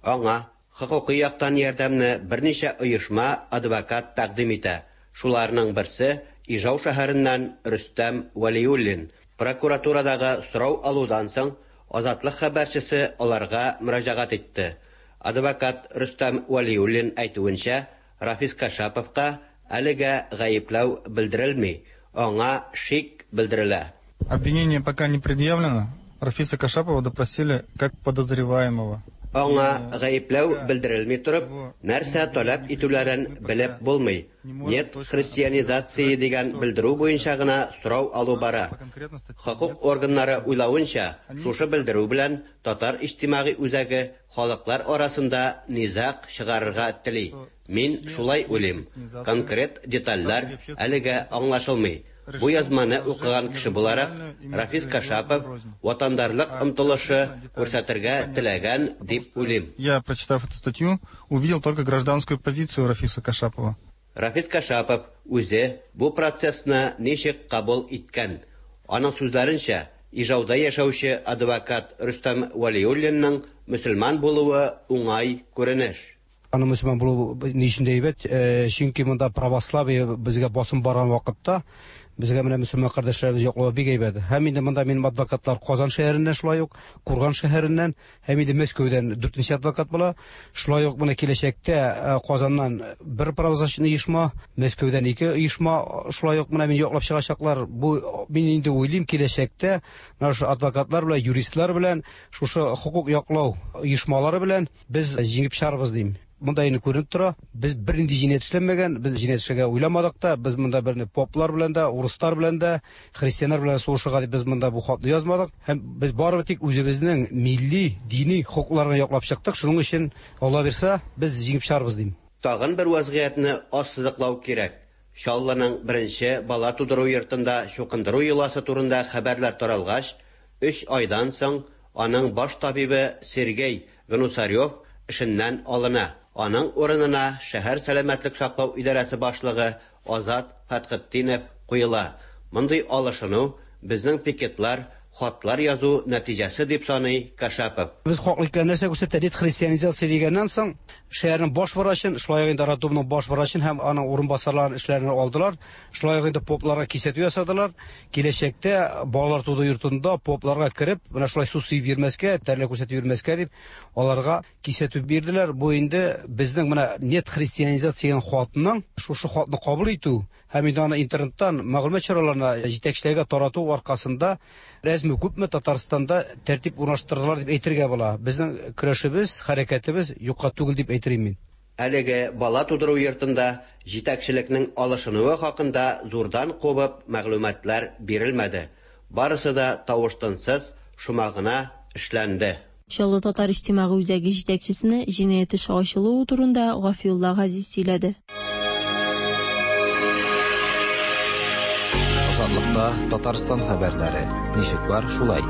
[SPEAKER 10] Аңа хокукый яктан ярдәмне берничә оешма адвокат тәкъдим итә. Шуларның берсе Ижау шәһәреннән Рөстәм Вәлиуллин. Прокуратурадагы сорау алудан соң Азатлык хәбәрчесе аларга мөрәҗәгать итте. Адвокат Рөстәм Вәлиуллин әйтүенчә, Рафис Кашаповка әлегә гаепләү белдерелми, аңа шик белдерелә.
[SPEAKER 11] Обвинение пока не предъявлено. Рафиса Кашапова допросили как подозреваемого.
[SPEAKER 10] Аңа гаепләү белдерелми торып, нәрсә таләп итүләрен белеп булмый. Нет христианизации дигән белдерү буенча гына сорау алу бара. Хокук органнары уйлавынча, шушы белдерү белән татар иҗтимагый үзәге халыклар арасында низаг чыгарырга тели. Мин шулай уйлыйм. Конкрет детальләр әлегә аңлашылмый. Бу язманы укыган кеше буларак, Рафис Кашапов ватандарлык омтылышы күрсәтергә теләгән дип уйлыйм.
[SPEAKER 11] Я, прочитав эту статью, увидел только гражданскую позицию Рафиса Кашапова.
[SPEAKER 10] Рафис Кашапов үзе бу процессны ничек кабул иткән? Аның сүзләренчә, Ижауда яшәүче адвокат Рөстәм Вәлиуллинның мөселман булуы уңай күренеш.
[SPEAKER 12] Аның мөселман булуы ни өчен дә әйбәт, чөнки монда православие безгә басым барган вакытта безгә менә мөселман кардәшләребез яклавы бик әйбәт. Һәм инде монда минем адвокатлар Казан шәһәреннән шулай ук, Курган шәһәреннән һәм инде Мәскәүдән 4нче адвокат була. Шулай ук менә киләчәктә Казаннан бер правозащитный оешма, Мәскәүдән 2 оешма шулай ук менә мине яклап чыгачаклар. Бу мин инде уйлыйм, киләчәктә менә шушы адвокатлар белән, юристлар белән, шушы хокук яклау оешмалары белән без җиңеп чыгарбыз дим. Монда инде күренеп тора, без бернинди җинаять эшләмәгән, без җинаять эшләргә уйламадык та, без монда берни поплар белән дә, урыслар белән дә, христианнар белән сугышырга дип без монда бу хатны язмадык. Һәм без бары тик үзебезнең милли, дини хокукларны яклап чыктык. Шуның өчен, Алла бирсә, без җиңеп чыгарбыз дим.
[SPEAKER 10] Тагын бер вазгыятьне ассызыклау кирәк. Чаллының беренче бала тудыру йортында чукындыру йоласы турында хәбәрләр таралгач, 3 айдан соң аның баш табибы Сергей Гнусарев эшеннән алына. Аның урынына шәһәр сәламәтлек саклау идарәсе башлыгы Азат Фәтхетдинов куела. Мондый алышыну безнең пикетлар, хатлар язу нәтиҗәсе дип саный Кашапов.
[SPEAKER 12] Без хаклы икән нәрсә күрсәтә, нет христианизация дигәннән соң, Шәһәрнең баш врачын, шулай ук инде роддомның баш врачын һәм аның урынбасарларын эшләреннән алдылар. Шулай ук инде попларга кисәтү ясадылар. Киләчәктә балалар тудыру йортында попларга кереп, менә шулай су сибеп йөрмәскә, тәрләр күрсәтеп йөрмәскә дип, аларга кисәтү бирделәр. Бу инде безнең менә нет христианизация дигән хатның, шушы хатны кабул итү һәм инде аны интернеттан мәгълүмат чараларына, җитәкчеләргә тарату аркасында әзме-күпме Татарстанда тәртип урнаштырдылар дип әйтергә була. Безнең көрәшебез, хәрәкәтебез юкка түгел дип әйтер идем мин.
[SPEAKER 10] Әлеге бала тудыру йортында җитәкчелекнең алышынуы хакында зурдан кубып мәгълүматлар бирелмәде. Барысы да тавыш-тынсыз, шома гына эшләнде.
[SPEAKER 9] Чаллы татар иҗтимагый үзәге җитәкчесенә җинаять эше ачылуы турында Гафиулла Газиз сөйләде.
[SPEAKER 4] Азатлыкта Татарстан хәбәрләре. Ничек бар, шулай.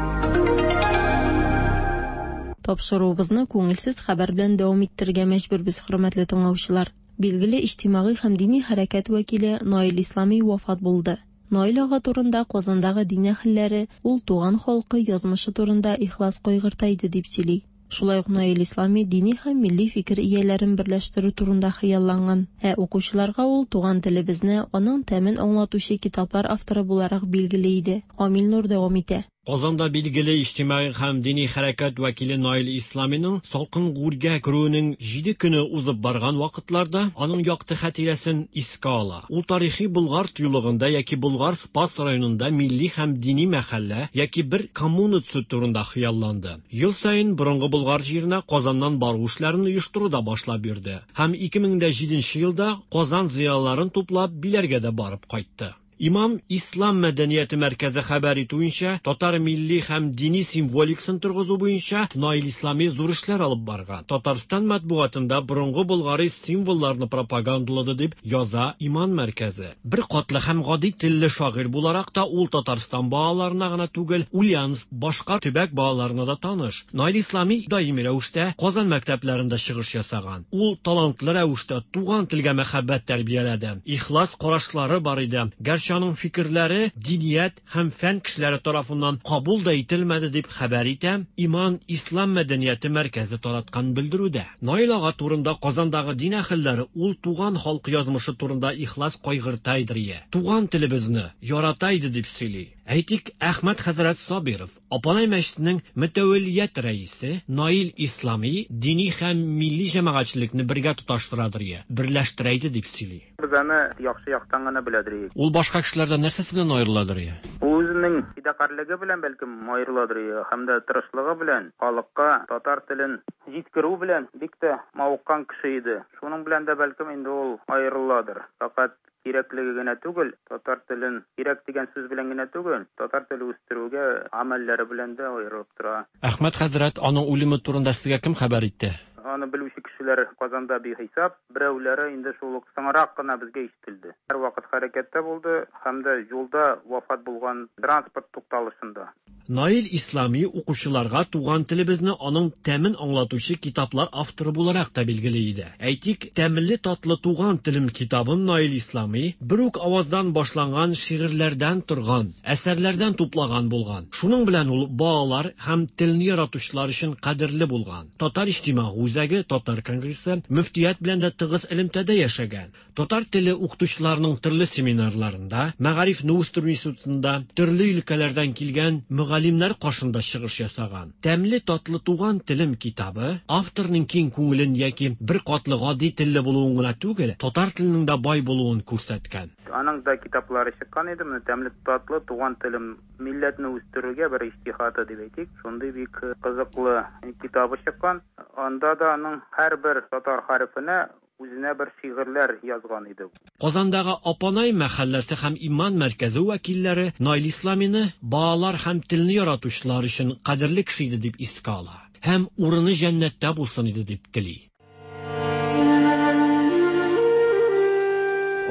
[SPEAKER 9] Тапшыруыбызны күңелсез хәбәр белән дәвам иттерергә мәҗбүрбез, хөрмәтле тыңлаучылар. Билгеле иҗтимагый һәм дини хәрәкәт вәкиле Наил Ислами вафат булды. Наил ага турында Казандагы дин әһелләре ул туган халкы язмышы турында ихлас кайгырта иде дип сөйли. Шулай ук Наил Ислами дини һәм милли фикер ияләрен берләштерү турында хыялланган. Ә укучыларга ул туган телебезне, аның тәмен аңлатучы китаплар авторы буларак билгеле иде. Амил Нур дәвам итә.
[SPEAKER 13] Казанда билгеле иҗтимагый һәм дини хәрәкәт вәкиле Наил Исламиның салкын гүргә керүенең җиде көне узып барган вакытларда аның якты хатирәсен искә ала. Ул тарихи Болгар тыюлыгында яки Болгар Спас районында милли һәм дини мәхәллә яки бер коммуна төзү турында хыялланды. Ел саен борынгы Болгар җиренә Казаннан бару эшләрен оештыру да башлап йөрде һәм 2007 елда Казан зыялыларын туплап Биләргә дә барып кайтты. Имам Ислам мәдәнияте мәркәзе хәбәр итүенчә, татар милли һәм дини символикасын торгызу буенча Наил Ислами зур эшләр алып барган. Татарстан матбугатында борынгы болгари символларны пропагандалады дип яза Иман мәркәзе. Бер катлы һәм гади телле шагыйрь буларак та ул Татарстан балаларына гына түгел, Ульяновск, башка төбәк балаларына да таныш. Наил Ислами даими рәвештә Казан мәктәпләрендә чыгыш ясаган. Ул талантлы рәвештә туган телгә мәхәббәт тәрбияләде. Ихлас карашлары бар иде. Гәрчә аның фикерләре диният һәм фән кешеләре тарафыннан кабул да ителмәде дип хәбәр итә Иман Ислам мәдәнияте мәркәзе тараткан белдерүдә. Наил ага турында Казандагы дин әһелләре ул туган халкы язмышы турында ихлас кайгырта иде, туган телебезне ярата иде дип сөйли. Әйтик, Әхмәт хәзрәт Сабиров, Апанай мәчетенең мөтәвәллият рәисе Наил Ислами дини һәм милли җәмәгатьчелекне бергә тоташтырадыр я, берләштерә иде дип сөйли.
[SPEAKER 14] Без аны яхшы яктан гына беләдер идек.
[SPEAKER 13] Ул башка кешеләрдән нәрсәсе белән аерыладыр я?
[SPEAKER 14] Ул үзенең фидакарьлеге белән бәлкем аерыладыр я, һәм дә тырышлыгы белән халыкка татар телен җиткерү белән бик тә мавыккан кеше иде. Шуның белән дә бәлкем инде ул аерыладыр. Фәкать кирәклеге генә түгел, татар телен кирәк дигән сүз белән генә түгел, татар теле үстерүгә гамәлләре белән дә аерылып тора.
[SPEAKER 13] Әхмәт хәзрәт, аның үлеме турында сезгә кем хәбәр итте?
[SPEAKER 14] Аны белүче кешеләр Казанда бихисап, берәүләре инде шул ук соңрак кына безгә ишетелде. Һәрвакыт хәрәкәттә булды һәм дә юлда вафат булган транспорт тукталышында.
[SPEAKER 13] Наил Ислами укучыларга туган телебезне, аның тәмен аңлатучы китаплар авторы буларак та билгеле иде. Әйтик, Тәмле татлы туган телем китабын Наил Ислами бер үк аваздан башланган шигырьләрдән торган әсәрләрдән туплаган булган. Шуның белән ул балалар һәм телне яратучылар өчен кадерле булган. Татар иҗтимагый үзәге, Татар конгрессы, мөфтият белән дә тыгыз элемтәдә яшәгән. Татар теле укытучыларының төрле семинарларында, Мәгарифне үстерү институтында төрле өлкәләрдән килгән мөгаллимнәр каршында чыгыш ясаган. Тәмле татлы туган телем китабы авторның киң күңелен яки бер катлы гади телле булуын гына түгел, татар теленең дә бай булуын күрсәткән.
[SPEAKER 14] Аның да китаплары чыккан иде, менә Тәмле татлы туган телем милләтне үстерүгә бер иҗтиһады дип әйтик, шундый бик кызыклы китабы чыккан. Анда да аның һәрбер татар хәрефенә үзенә бер шигырьләр язган иде.
[SPEAKER 13] Казандагы Апанай мәхәлләсе һәм Иман мәркәзе вәкилләре Наил Исламины балалар һәм телне яратучылар өчен кадерле кеше иде дип искә ала һәм урыны җәннәттә булсын иде дип тели.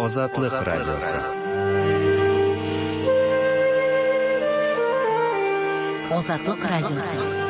[SPEAKER 3] Азатлык радиосы.
[SPEAKER 2] Азатлык радиосы.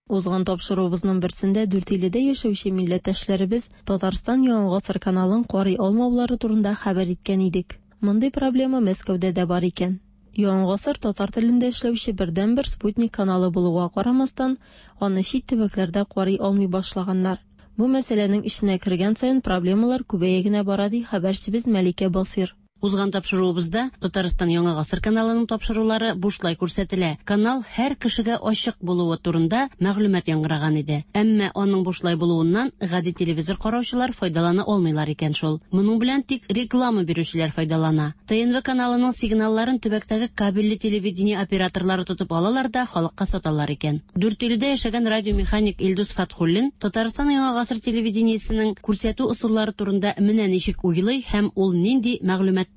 [SPEAKER 9] Узган тапшыруыбызның берсендә Дүртөйледә яшәүче милләттәшләребез Татарстан Яңа гасыр каналын карый алмаулары турында хәбәр иткән идек. Мондый проблема Мәскәүдә дә бар икән. Яңа гасыр татар телендә эшләүче бердәнбер спутник каналы булуга карамастан, аны чит төбәкләрдә карый алмый башлаганнар. Бу мәсьәләнең эченә кергән саен проблемалар күбәя генә бара, ди хәбәрчебез Мәликә Басыйр.
[SPEAKER 15] Узган тапшыруыбызда Татарстан Яңа гасыр каналының тапшырулары бушлай күрсәтелә. Канал һәр кешегә ачык булуы турында мәгълүмат яңгыраган иде. Әмма аның бушлай булуыннан гади телевизор караучылар файдалана алмыйлар икән шул. Моның белән тик реклама бирүчеләр файдалана. ТНВ каналының сигналларын төбәктәге кабельле телевидение операторлары тотып алалар да халыкка саталар икән. Дүртөйледә яшәгән радиомеханик Илдус Фатхуллин Татарстан Яңа гасыр телевидениесенең күрсәтү ысуллары турында менә ничек уйлый һәм ул нинди мәгълүматта.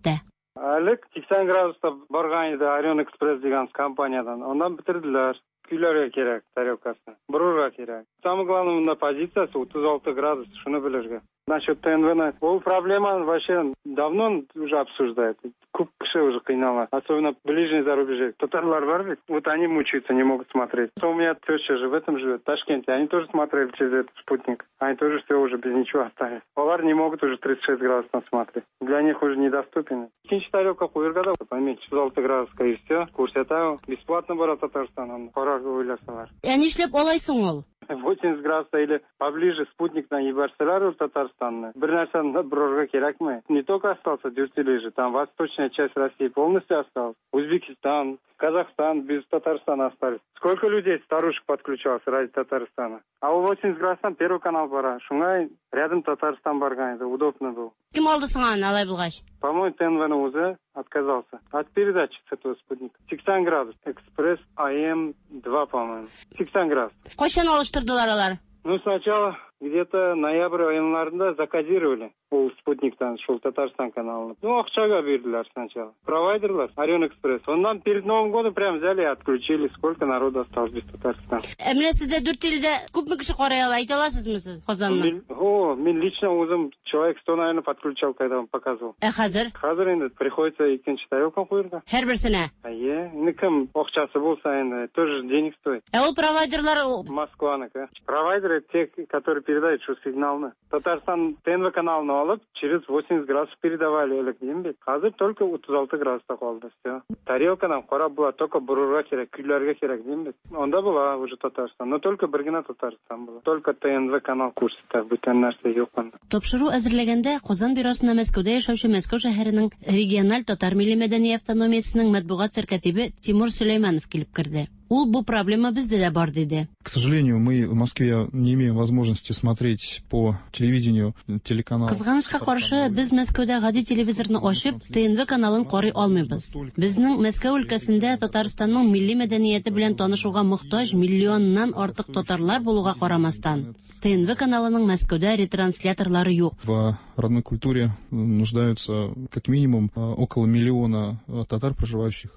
[SPEAKER 16] Элек 80 градуста барган иде Орион Экспресс дигән компаниядән. Аннан бетерделәр. Көйләргә кирәк тарелкасын. Борырга кирәк. Самое главное, монда позициясе 36 градус, шуны белергә. Насчет ТНВ-ны, ул проблеманы вообще давно уже обсуждают. Күп кеше уже кыйнала. Особенно ближний зарубежье. Татарлар бар ведь, вот они мучаются, не могут смотреть. У меня теща же в этом живет, в Ташкенте. Они тоже смотрели через этот спутник. Они тоже все уже без ничего остались. Алар не могут уже 36 градусов смотреть. Для них уже недоступен. Икенче тарелка куярга да, поменьше 36 градуска и все. Күрсәтә, бесплатно бара Татарстан. Карарга уйласалар.
[SPEAKER 15] Ә нишләп алай соң ул?
[SPEAKER 16] 80 градуса или поближе спутниктан җибәрсәләр ул Татарстанны. Бер нәрсәне борырга кирәкме? Не только остался Дюртюли же, там восточная часть России полностью осталась. Узбекистан, Казахстан без Татарстана остались. Сколько людей, старушек подключалось ради Татарстана? А у 80 градустан Первый канал бара. Шуңа рядом Татарстан барган иде, удобно был.
[SPEAKER 15] Кем алды соң аны алай булгач?
[SPEAKER 16] По-моему, ТНВ уже отказался от передачи с этого спутника. 80 градус. Экспресс АМ-2, по-моему. 80 градус.
[SPEAKER 15] Кайчан алыштырдылар алар?
[SPEAKER 16] Ну, сначала где-то ноябрь аеннарында закодировали ул спутниктан шул Татарстан каналын. Ну, акчага бирделәр сначала. Провайдерлар, Орион Экспресс. Аннан перед Новым годом прям взяли и отключили. Сколько народу осталось без Татарстана.
[SPEAKER 15] Ә менә сездә Дүртөйледә күпме кеше карый ала, әйтә аласызмы сез Казанны?
[SPEAKER 16] О, мин лично үзем человек 100, наверное, подключал, когда он показывал.
[SPEAKER 15] Ә хәзер?
[SPEAKER 16] Хәзер инде приходится икенче тарелка куярга.
[SPEAKER 15] Һәрберсенә?
[SPEAKER 16] Әйе. Инде кем акчасы булса инде, тоже денег стоит.
[SPEAKER 15] Ә ул провайдерлар
[SPEAKER 16] Москваныкы. Провайдеры те, которые передают шул сигналны. Татарстан ТНВ каналын алып, через 80 градусов передавали элек, дим бит. Хәзер только 36 градуста калды, все. Тарелкадан карап була, только борырга кирәк, көйләргә кирәк, дим бит. Анда була уже Татарстан, но только бер генә Татарстан була. Только ТНВ канал күрсәтә, бүтән нәрсә юк анда.
[SPEAKER 15] Тапшыру әзерләгәндә Казан бюросына Мәскәүдә яшәүче Мәскәү шәһәренең региональ татар милли мәдәни автономиясенең матбугат сәркатибе Тимур Сөләйманов килеп керде. Ул бу проблема бездә дә бар диде.
[SPEAKER 17] К сожалению, мы в Москве не имеем возможности смотреть по телевидению телеканал.
[SPEAKER 15] Кызганычка каршы, без Мәскәүдә гади телевизорны ачып, ТНВ каналын карый алмыйбыз. Безнең Мәскәү өлкәсендә Татарстанның милли мәдәнияте белән танышуга мохтаҗ миллионнан артык татарлар булуга карамастан, ТНВ каналының Мәскәүдә ретрансляторлары юк.
[SPEAKER 17] В родной культуре нуждаются как минимум около миллиона татар, проживающих.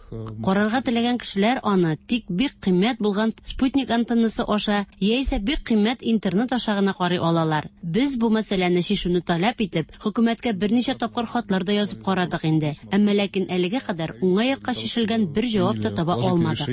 [SPEAKER 15] Карарга теләгән кешеләр аны тик бик кыйммәт булган спутник антеннасы аша яисә бик кыйммәт интернет аша гына карый алалар. Без бу мәсьәләне чишүне таләп итеп, хөкүмәткә берничә тапкыр хатлар да язып карадык инде. Әмма ләкин әлегә кадәр уңай якка чишелгән бер җавап та таба алмадык.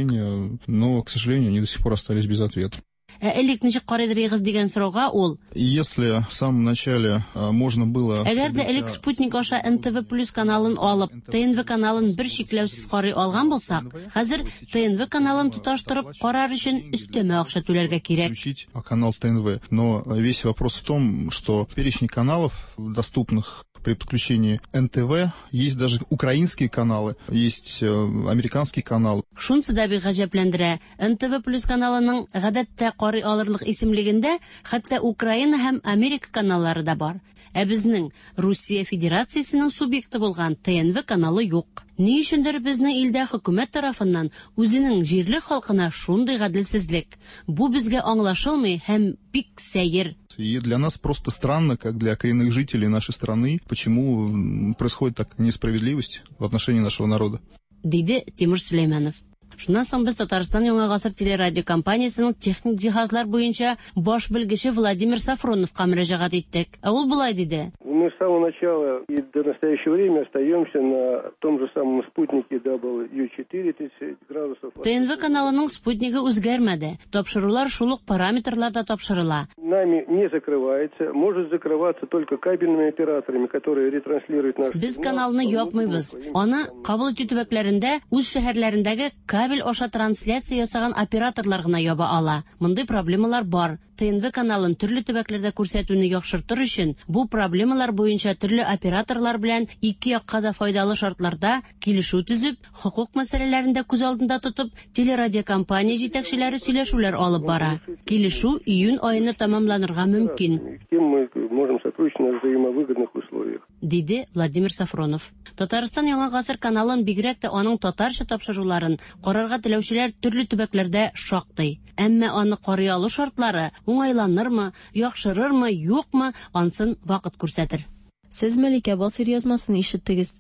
[SPEAKER 17] Но, к сожалению, они до сих пор остались без ответа.
[SPEAKER 15] Ә элек ничек карыйдыр дигән сорауга ул:
[SPEAKER 17] Если в самом начале можно было
[SPEAKER 15] Әгәр дә элек спутник аша НТВ плюс каналын алып, ТНВ каналын бер чикләүсез карый алган булсак, хәзер ТНВ каналын тоташтырып карар өчен өстәмә акча түләргә кирәк.
[SPEAKER 17] Включить канал ТНВ. Но весь вопрос в том, что перечень каналов, доступных при подключении НТВ, есть даже украинские каналы, есть американский канал.
[SPEAKER 15] Шунысы да бик гаҗәпләндерә. НТВ плюс каналының гадәттә карый алырлык исемлегендә хәтта Украина һәм Америка каналлары да бар. Ә безнең Русия Федерациясенең субъекты булган ТНВ каналы юк. Ни өчендер безнең илдә хөкүмәт тарафыннан үзенең җирле халкына шундый гаделсезлек. Бу безгә аңлашылмый һәм бик сәер.
[SPEAKER 17] И для нас просто странно, как для коренных жителей нашей страны, почему происходит такая несправедливость в отношении нашего народа.
[SPEAKER 15] Диде Тимур Сөләйманов. Шуннан соң без Татарстан Яңа гасыр телерадиокомпаниясенең техник җиһазлар буенча баш белгече Владимир Сафроновка мөрәҗәгать иттек. Ә ул болай диде.
[SPEAKER 16] У
[SPEAKER 18] Мы с самого начала и до настоящего времени остаемся на том же самом спутнике W4 30 градусов.
[SPEAKER 15] ТНВ каналының спутнигы үзгәрмәде. Тапшырулар шул ук параметрларда тапшырыла.
[SPEAKER 18] Нами не закрывается, может закрываться только кабельными операторами, которые ретранслируют наш
[SPEAKER 15] Без каналны япмыйбыз. Аны кабул итү төбәкләрендә үз шәһәрләрендәге кабель аша трансляция ясаган операторлар гына яба ала. Мондый проблемалар бар. ТНВ каналын төрле төбәкләрдә күрсәтүне яхшыртыр өчен бу проблемалар буенча төрле операторлар белән ике якка да файдалы шартларда килешү төзеп, хокук мәсьәләләрен дә күз алдында тотып, телерадиокомпания җитәкчеләре сөйләшүләр алып бара. Килешү июнь аена тәмамланырга мөмкин.
[SPEAKER 18] Кем мы можем сотрудничать на взаимовыгодных условиях.
[SPEAKER 15] Диде Владимир Сафронов. Татарстан Яңа гасыр каналын бигрәк тә аның татарча тапшыруларын карарга теләүчеләр төрле төбәкләрдә шактый. Әмма аны карый алу шартлары уңайланырмы, яхшырырмы, юкмы, ансын вакыт күрсәтер.
[SPEAKER 9] Сез Мәликә Басыйр язмасын ишеттегез.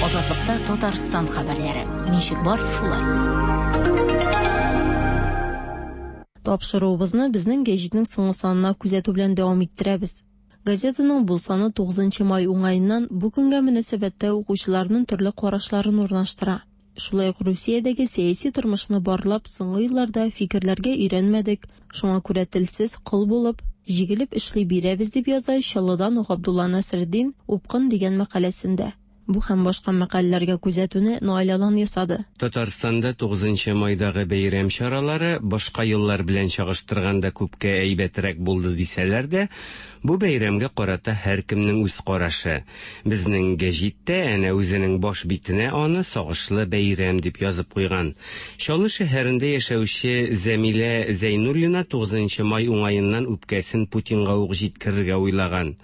[SPEAKER 2] Азатлыкта Татарстан хәбәрләре. Ничек бар, шулай.
[SPEAKER 9] Тапшыруыбызны безнең гәҗитнең соңгы санына күзәтү белән дәвам иттерәбез. Газетаның бу саны 9 май уңаеннан бу көнгә мөнәсәбәттә укучыларның төрле карашларын урнаштыра. Шулай ук Русиядәге сәяси тормышны барлап, соңгы елларда фикерләргә өйрәнмәдек, шуңа күрә телсез кол булып, җигелеп эшли бирәбез дип яза Чаллыдан Габдулла Насретдин Упкын дигән мәкаләсендә. Бу һәм башка мәкаләләргә күзәтүне Наил Алан ясады.
[SPEAKER 19] Татарстанда 9 майдагы бәйрәм чаралары башка еллар белән чагыштырганда күпкә әйбәтрәк булды дисәләр дә, бу бәйрәмгә карата һәркемнең үз карашы. Безнең гәҗит тә әнә үзенең баш битенә аны сагышлы бәйрәм дип язып куйган. Чаллы шәһәрендә яшәүче Зәмилә Зәйнуллина 9 май уңаеннан үпкәсен Путинга ук җиткерергә уйлаган.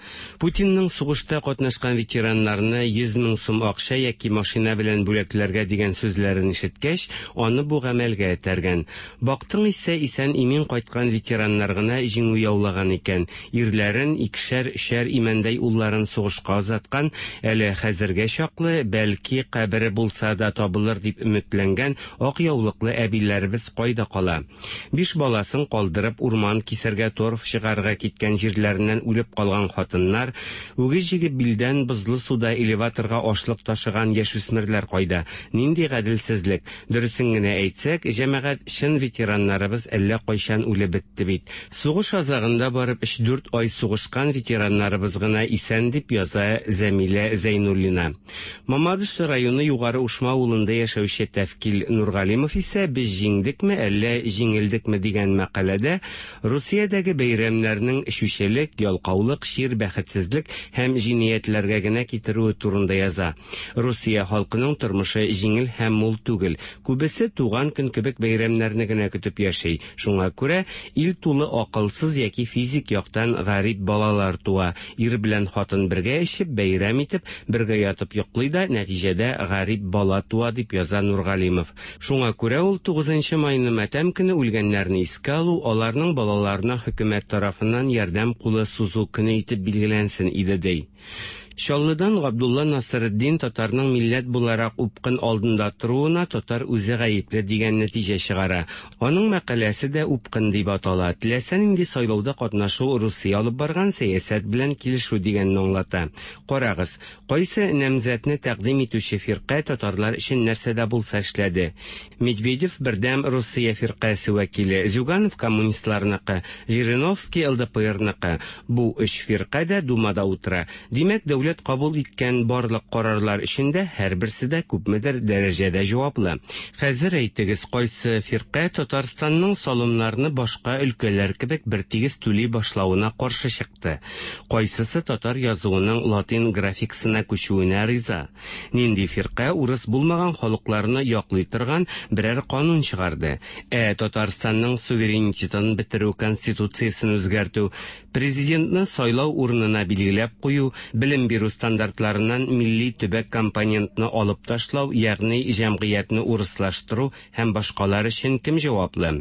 [SPEAKER 19] Путинның сугышта катнашкан ветераннарны 100 мең сум акча яки машина белән бүләкләргә дигән сүзләрен ишеткәч, аны бу гамәлгә этәргән. Бактың исә исән-имин кайткан ветераннар гына җиңү яулаган икән. Ирләрен, икешәр-өчәр имәндәй улларын сугышка озаткан, әле хәзергә чаклы, бәлки, кабере булса да табылыр дип өметләнгән ак яулыклы әбиләребез кайда кала? Биш баласын калдырып, урман кисәргә, торф чыгарырга киткән җирләреннән үлеп калган хатыннар, үгез җигеп билдән бозлы суда элеваторга ашлык ташыган яшүсмерләр кайда? Нинди гаделсезлек! Дөресен генә әйтсәк, җәмәгать, чын ветераннарыбыз әллә кайчан үлеп бетте бит. Сугыш азагында барып өч-дүрт ай сугышкан ветераннарыбыз гына исән, дип яза Зәмилә Зәйнуллина. Мамадыш районы Югары Ушма авылында яшәүче Тәфкил Нургалимов исә Без җиңдекме, әллә җиңелдекме дигән мәкаләдә Русиядәге бәйрәмнәрнең эчүчелек, ялкаулык, чир, бәхетсезлек һәм җинаятьләргә генә китерүе турында яза. Русия халкының тормышы җиңел һәм мул түгел. Күбесе туган көн кебек бәйрәмнәрне генә көтеп яши. Шуңа күрә ил тулы акылсыз яки физик яктан гарип балалар туа. Ир белән хатын бергә эчеп, бәйрәм итеп, бергә ятып йоклый да, нәтиҗәдә гарип бала туа, дип яза Нургалимов. Шуңа күрә ул тугызынчы майны матәм көне үлгәннәрне искә алу, аларның балаларына хөкүмәт тарафыннан ярдәм кулы сузу көне итеп билгеләнсен иде, ди. Чаллыдан Габдулла Насретдин татарның милләт буларак упкын алдында торуына татар үзе гаепле дигән нәтиҗә чыгара. Аның мәкаләсе дә Упкын дип атала. Теләсә нинди сайлауда катнашу Русия алып барган сәясәт белән килешү дигәнне аңлата. Карагыз, кайсы намзәтне тәкъдим итүче фиркә татарлар өчен нәрсә дә булса эшләде? Медведев Бердәм Русия фиркасе вәкиле, Зюганов коммунистларныкы, Жириновский ЛДПРныкы. Бу өч фиркә дә Думада утыра. Димәк, дәүләт кабул иткән барлык карарлар өчен дә һәрберсе дә күпмедер дәрәҗәдә җаваплы. Хәзер әйтегез, кайсы фиркә Татарстанның салымнарны башка өлкәләр кебек бертигез түли башлавына каршы чыкты? Кайсысы татар язуының латин графикасына күчүенә риза? Нинди фиркә урыс булмаган халыкларны яклый торган берәр канун чыгарды? Ә Татарстанның суверенитетын бетерү, конституциясен үзгәртү, Президентны сайлау урынына билгеләп кую, белем бирү стандартларыннан милли төбәк компонентны алып ташлау, ягъни җәмгыятьне урыслаштыру һәм башкалар өчен кем җаваплы?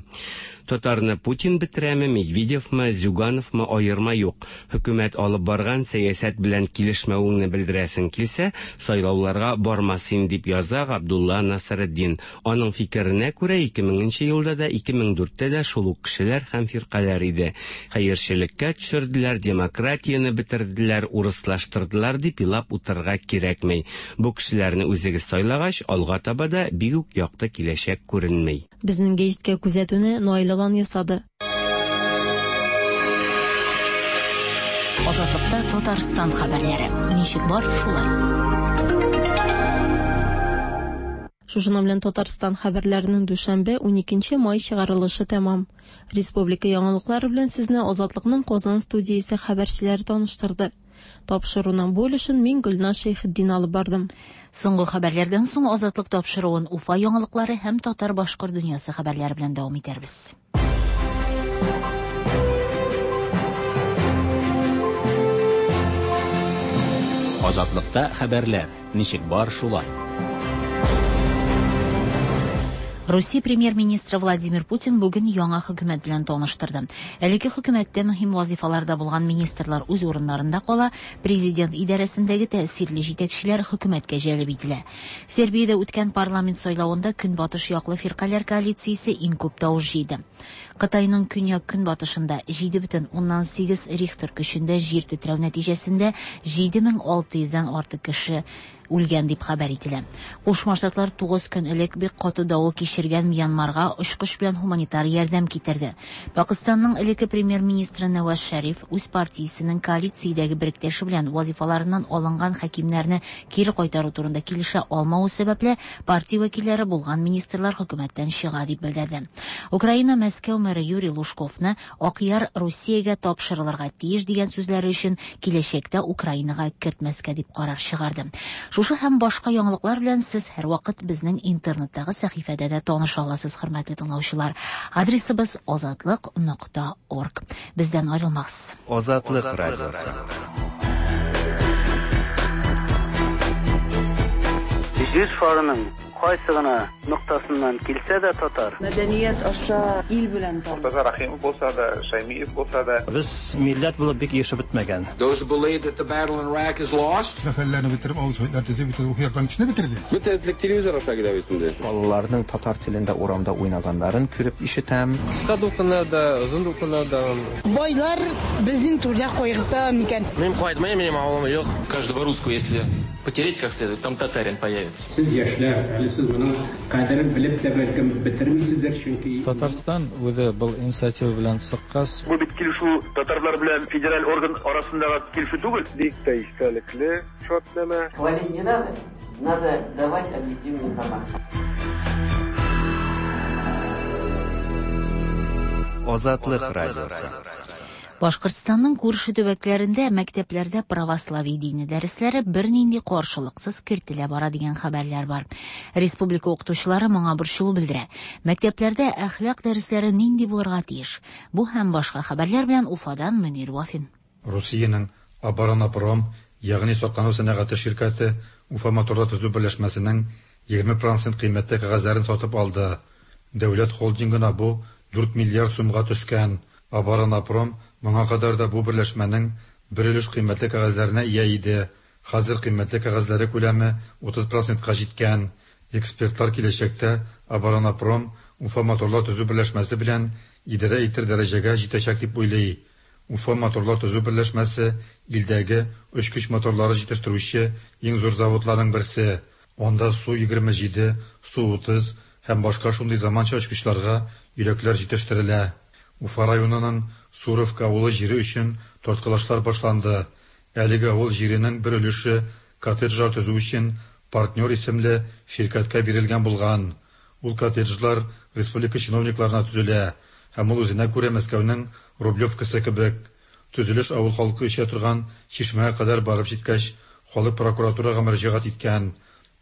[SPEAKER 19] Татарны Путин бетерәме, Медведевмы, Зюгановмы, аерма юк. Хөкүмәт алып барган сәясәт белән килешмәвеңне белдерәсең килсә, сайлауларга барма син, дип яза Габдулла Насретдин. Аның фикеренә күрә, 2000 нче елда да, 2004 тә дә шул ук кешеләр һәм фиркаләр иде. Хәерчелеккә төшерделәр, демократияне бетерделәр, урыслаштырдылар дип елап утырырга кирәкми. Бу кешеләрне үзегез сайлагач, алга таба да бик үк якты киләчәк күренми.
[SPEAKER 9] Безнең гәҗиткә күзәтүне Наил Алан ясады.
[SPEAKER 2] Азатлыкта Татарстан хәбәрләре. Ничек бар, шулай.
[SPEAKER 9] Шушының белән Татарстан хәбәрләренең дүшәмбе, 12 май чыгарылышы тәмам. Республика яңалыклары белән сезне Азатлыкның Казан студиясе хәбәрчеләре таныштырды. Тапшыруның бу өлешен мин Гөлназ Шәйхетдин алып бардым.
[SPEAKER 2] Соңгы хәбәрләрдән соң Азатлык тапшыруын Уфа яңалыклары һәм татар-башкорт дөньясы хәбәрләре белән дәвам итәрбез.
[SPEAKER 1] Азатлыкта хәбәрләр, ничек бар шулай.
[SPEAKER 2] Русия премьер-министры Владимир Путин бүген яңа хөкүмәт белән таныштырды. Әлеге хөкүмәттә мөһим вазифаларда булган министрлар үз урыннарында кала, президент идарәсендәге тәэсирле җитәкчеләр хөкүмәткә җәлеп ителә. Сербиядә үткән парламент сайлавында Көнбатыш яклы фиркаләр коалициясе иң күп тавыш җыйды. Кытайның көньяк-көнбатышында 7,8 Рихтер көчендә җир тетрәү нәтиҗәсендә 7600 дән артык кеше үлгән дип хәбәр ителә. Кушма Штатлар 9 көн элек бик каты давыл кичергән Мьянмарга очкыч белән һуманитар ярдәм китерде. Пакыстанның элекке премьер-министры Нәваз Шәриф үз партиясенең коалициядәге беректәше белән вазифаларыннан алынган хакимнәрне кире кайтару турында килешә алмавы сәбәпле, партия вәкилләре булган министрлар хөкүмәттән чыга дип белдерде. Украина Мәскәү мэры Юрий Лужковны Акъяр Русиягә тапшырылырга тиеш дигән сүзләре өчен киләчәктә Украинага кертмәскә дип карар чыгарды. Шушы һәм башка яңалыклар белән сез һәрвакыт безнең интернеттагы сәхифәдә дә таныша аласыз, хөрмәтле тыңлаучылар. Адресыбыз азатлык нокта орг. Бездән аерылмагыз.
[SPEAKER 3] Азатлык радиосы.
[SPEAKER 14] Җир шарының кайсы гына ноктасыннан килсә дә татар.
[SPEAKER 20] Мәдәният аша ил белән таныш.
[SPEAKER 21] Мортаза Рәхимов булса да, Шәймиев булса да.
[SPEAKER 22] Без милләт булып бик ирешеп бетмәгән.
[SPEAKER 23] Those who believe that the battle in Iraq is lost.
[SPEAKER 24] Мәхәлләне бетереп, авыл советлар төзеп, бөтен рухи яктан көчне бетерде.
[SPEAKER 25] Бөтен телевизор аша килә бит инде.
[SPEAKER 26] Балаларның татар телендә урамда уйнаганнарын күреп ишетәм.
[SPEAKER 27] Кыска дулкыннар да, озын дулкыннар да.
[SPEAKER 28] Байлар безнең түрдә кайгырта микән?
[SPEAKER 29] Мин кайтмыйм, минем авылым юк.
[SPEAKER 30] Каждого русского, если потереть как следует, там татарин появится.
[SPEAKER 31] Сез яшьләр, әле сез моның кадерен белеп тә бәлкем бетермисездер, чөнки
[SPEAKER 11] Татарстан үзе был инициатива белән чыккач.
[SPEAKER 32] Бу бит килешү татарлар белән федераль орган арасындагы килешү түгел.
[SPEAKER 18] Бик тә истәлекле шартнамә.
[SPEAKER 33] Хвалить не надо, надо давать объективную информацию.
[SPEAKER 3] Азатлык радиосы.
[SPEAKER 2] Башкортстанның күрше төбәкләрендә мәктәпләрдә православие дине дәресләре бернинди каршылыксыз кертелә бара дигән хәбәрләр бар. Республика укытучылары моңа борчылу белдерә. Мәктәпләрдә әхлак дәресләре нинди булырга тиеш? Бу һәм башка хәбәрләр белән Уфадан Мөнир Вафин.
[SPEAKER 34] Русиянең Оборонапром, ягъни саклану сәнәгате ширкәте Уфа моторлар төзү берләшмәсенең 20 процент кыйммәтле кәгазьләрен сатып алды. Дәүләт холдингына бу 4 миллиард сумга төшкән. Оборонапром моңа кадәр дә бу берләшмәнең бер өлеш кыйммәтле кәгазьләренә ия иде. Хәзер кыйммәтле кәгазьләре күләме 30 процентка җиткән. Экспертлар киләчәктә Оборонапром Уфа моторлар төзү берләшмәсе белән идарә итер дәрәҗәгә җитәчәк дип уйлый. Уфа моторлар төзү берләшмәсе илдәге очкыч моторлары җитештерүче иң зур заводларның берсе. Анда Су-27, Су-30 һәм башка шундый заманча очкычларга йөрәкләр җитештерелә. Уфа районының Суровка авылы җире өчен тарткалашлар башланды. Әлеге авыл җиренең бер өлеше коттеджлар төзү өчен Партнер исемле ширкәткә бирелгән булган. Ул коттеджлар республика чиновникларына төзелә һәм ул үзенә күрә Мәскәүнең Рублевкасы кебек. Төзелеш авыл халкы эчә торган чишмәгә кадәр барып җиткәч, халык прокуратурага мөрәҗәгать иткән.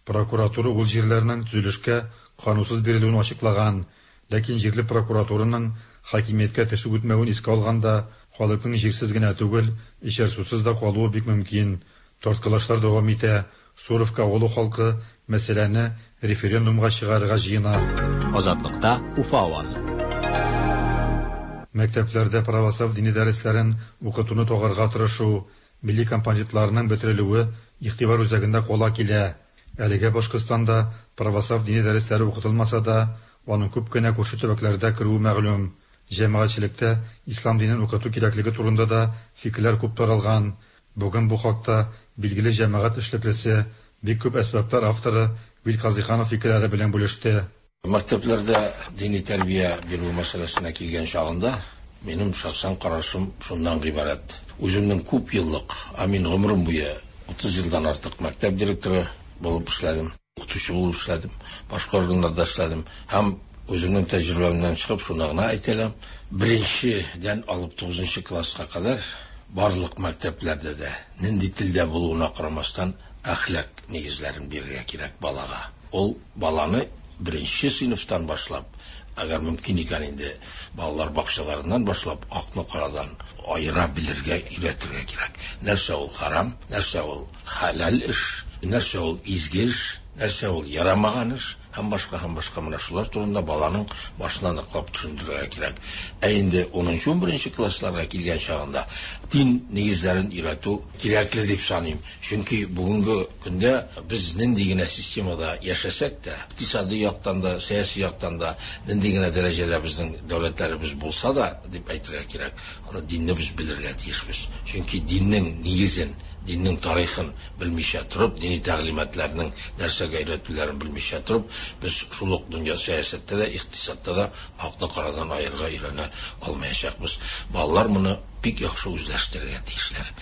[SPEAKER 34] Прокуратура ул җирләрнең төзелешкә канунсыз бирелүен ачыклаган. Ләкин җирле прокуратураның хакимияткә теше үтмәвен искә алганда, халыкның җирсез генә түгел, эчәр сусыз да калуы бик мөмкин. Тарткалашлар дәвам итә. Суровка авылы халкы мәсьәләне референдумга чыгарырга җыена.
[SPEAKER 1] Азатлыкта Уфа авазы.
[SPEAKER 34] Мәктәпләрдә православ дини дәресләрен укытуны тагарга тырышу, милли компонентларының бетерелүе игътибар үзәгендә кала килә. Әлегә Башкортстанда православ дини дәресләре укытылмаса да, аның күп кенә күрше төбәкләрдә керүе мәгълүм. Җәмәгатьчелектә ислам динен укыту кирәклеге турында да фикерләр күп таралган. Бүген бу хакта билгеле җәмәгать эшлеклесе, бик күп әсбаплар авторы Вил Казыйханов фикерләре белән бүлеште.
[SPEAKER 4] Мәктәпләрдә дини тәрбия бирү мәсьәләсенә килгән чагында, минем шәхсән карашым шуннан гыйбарәт. Үземнең күп еллык, ә мин гомерем буе 30 елдан артык мәктәп директоры булып эшләдем, укытучы булып эшләдем, башка органнарда эшләдем һәм үземнең тәҗрибәмнән чыгып шуны гына әйтә алам, беренчедән алып тугызынчы класска кадәр барлык мәктәпләрдә дә, нинди телдә булуына карамастан, әхлак нигезләрен бирергә кирәк балага. Ул баланы беренче сыйныфтан башлап, әгәр мөмкин икән инде, балалар бакчаларыннан башлап, акны карадан аера белергә өйрәтергә кирәк. Нәрсә ул харам, нәрсә ул хәләл эш, нәрсә ул изге эш, нәрсә ул ярамаган эш һәм башка һәм башка менә шулар турында баланың башына ныклап төшендерергә кирәк. Ә инде унынчы-унберенче классларга килгән чагында дин нигезләрен өйрәтү кирәкле дип саныйм. Чөнки бүгенге көндә без нинди генә системада яшәсәк тә, икътисади яктан да, сәяси яктан да нинди генә дәрәҗәдә безнең дәүләтләребез булса да, дип әйтергә кирәк, аны динне без белергә тиешбез. Чөнки диннең нигезен, диннең тарихын белмичә торып, дини тәгълиматларның нәрсәгә өйрәтүләрен белмичә торып, без шул ук дөнья сәясәттә дә, икътисадта да акны карадан аерырга өйрәнә алмаячакбыз. Балалар моны бик яхшы үзләштерергә тиешләр.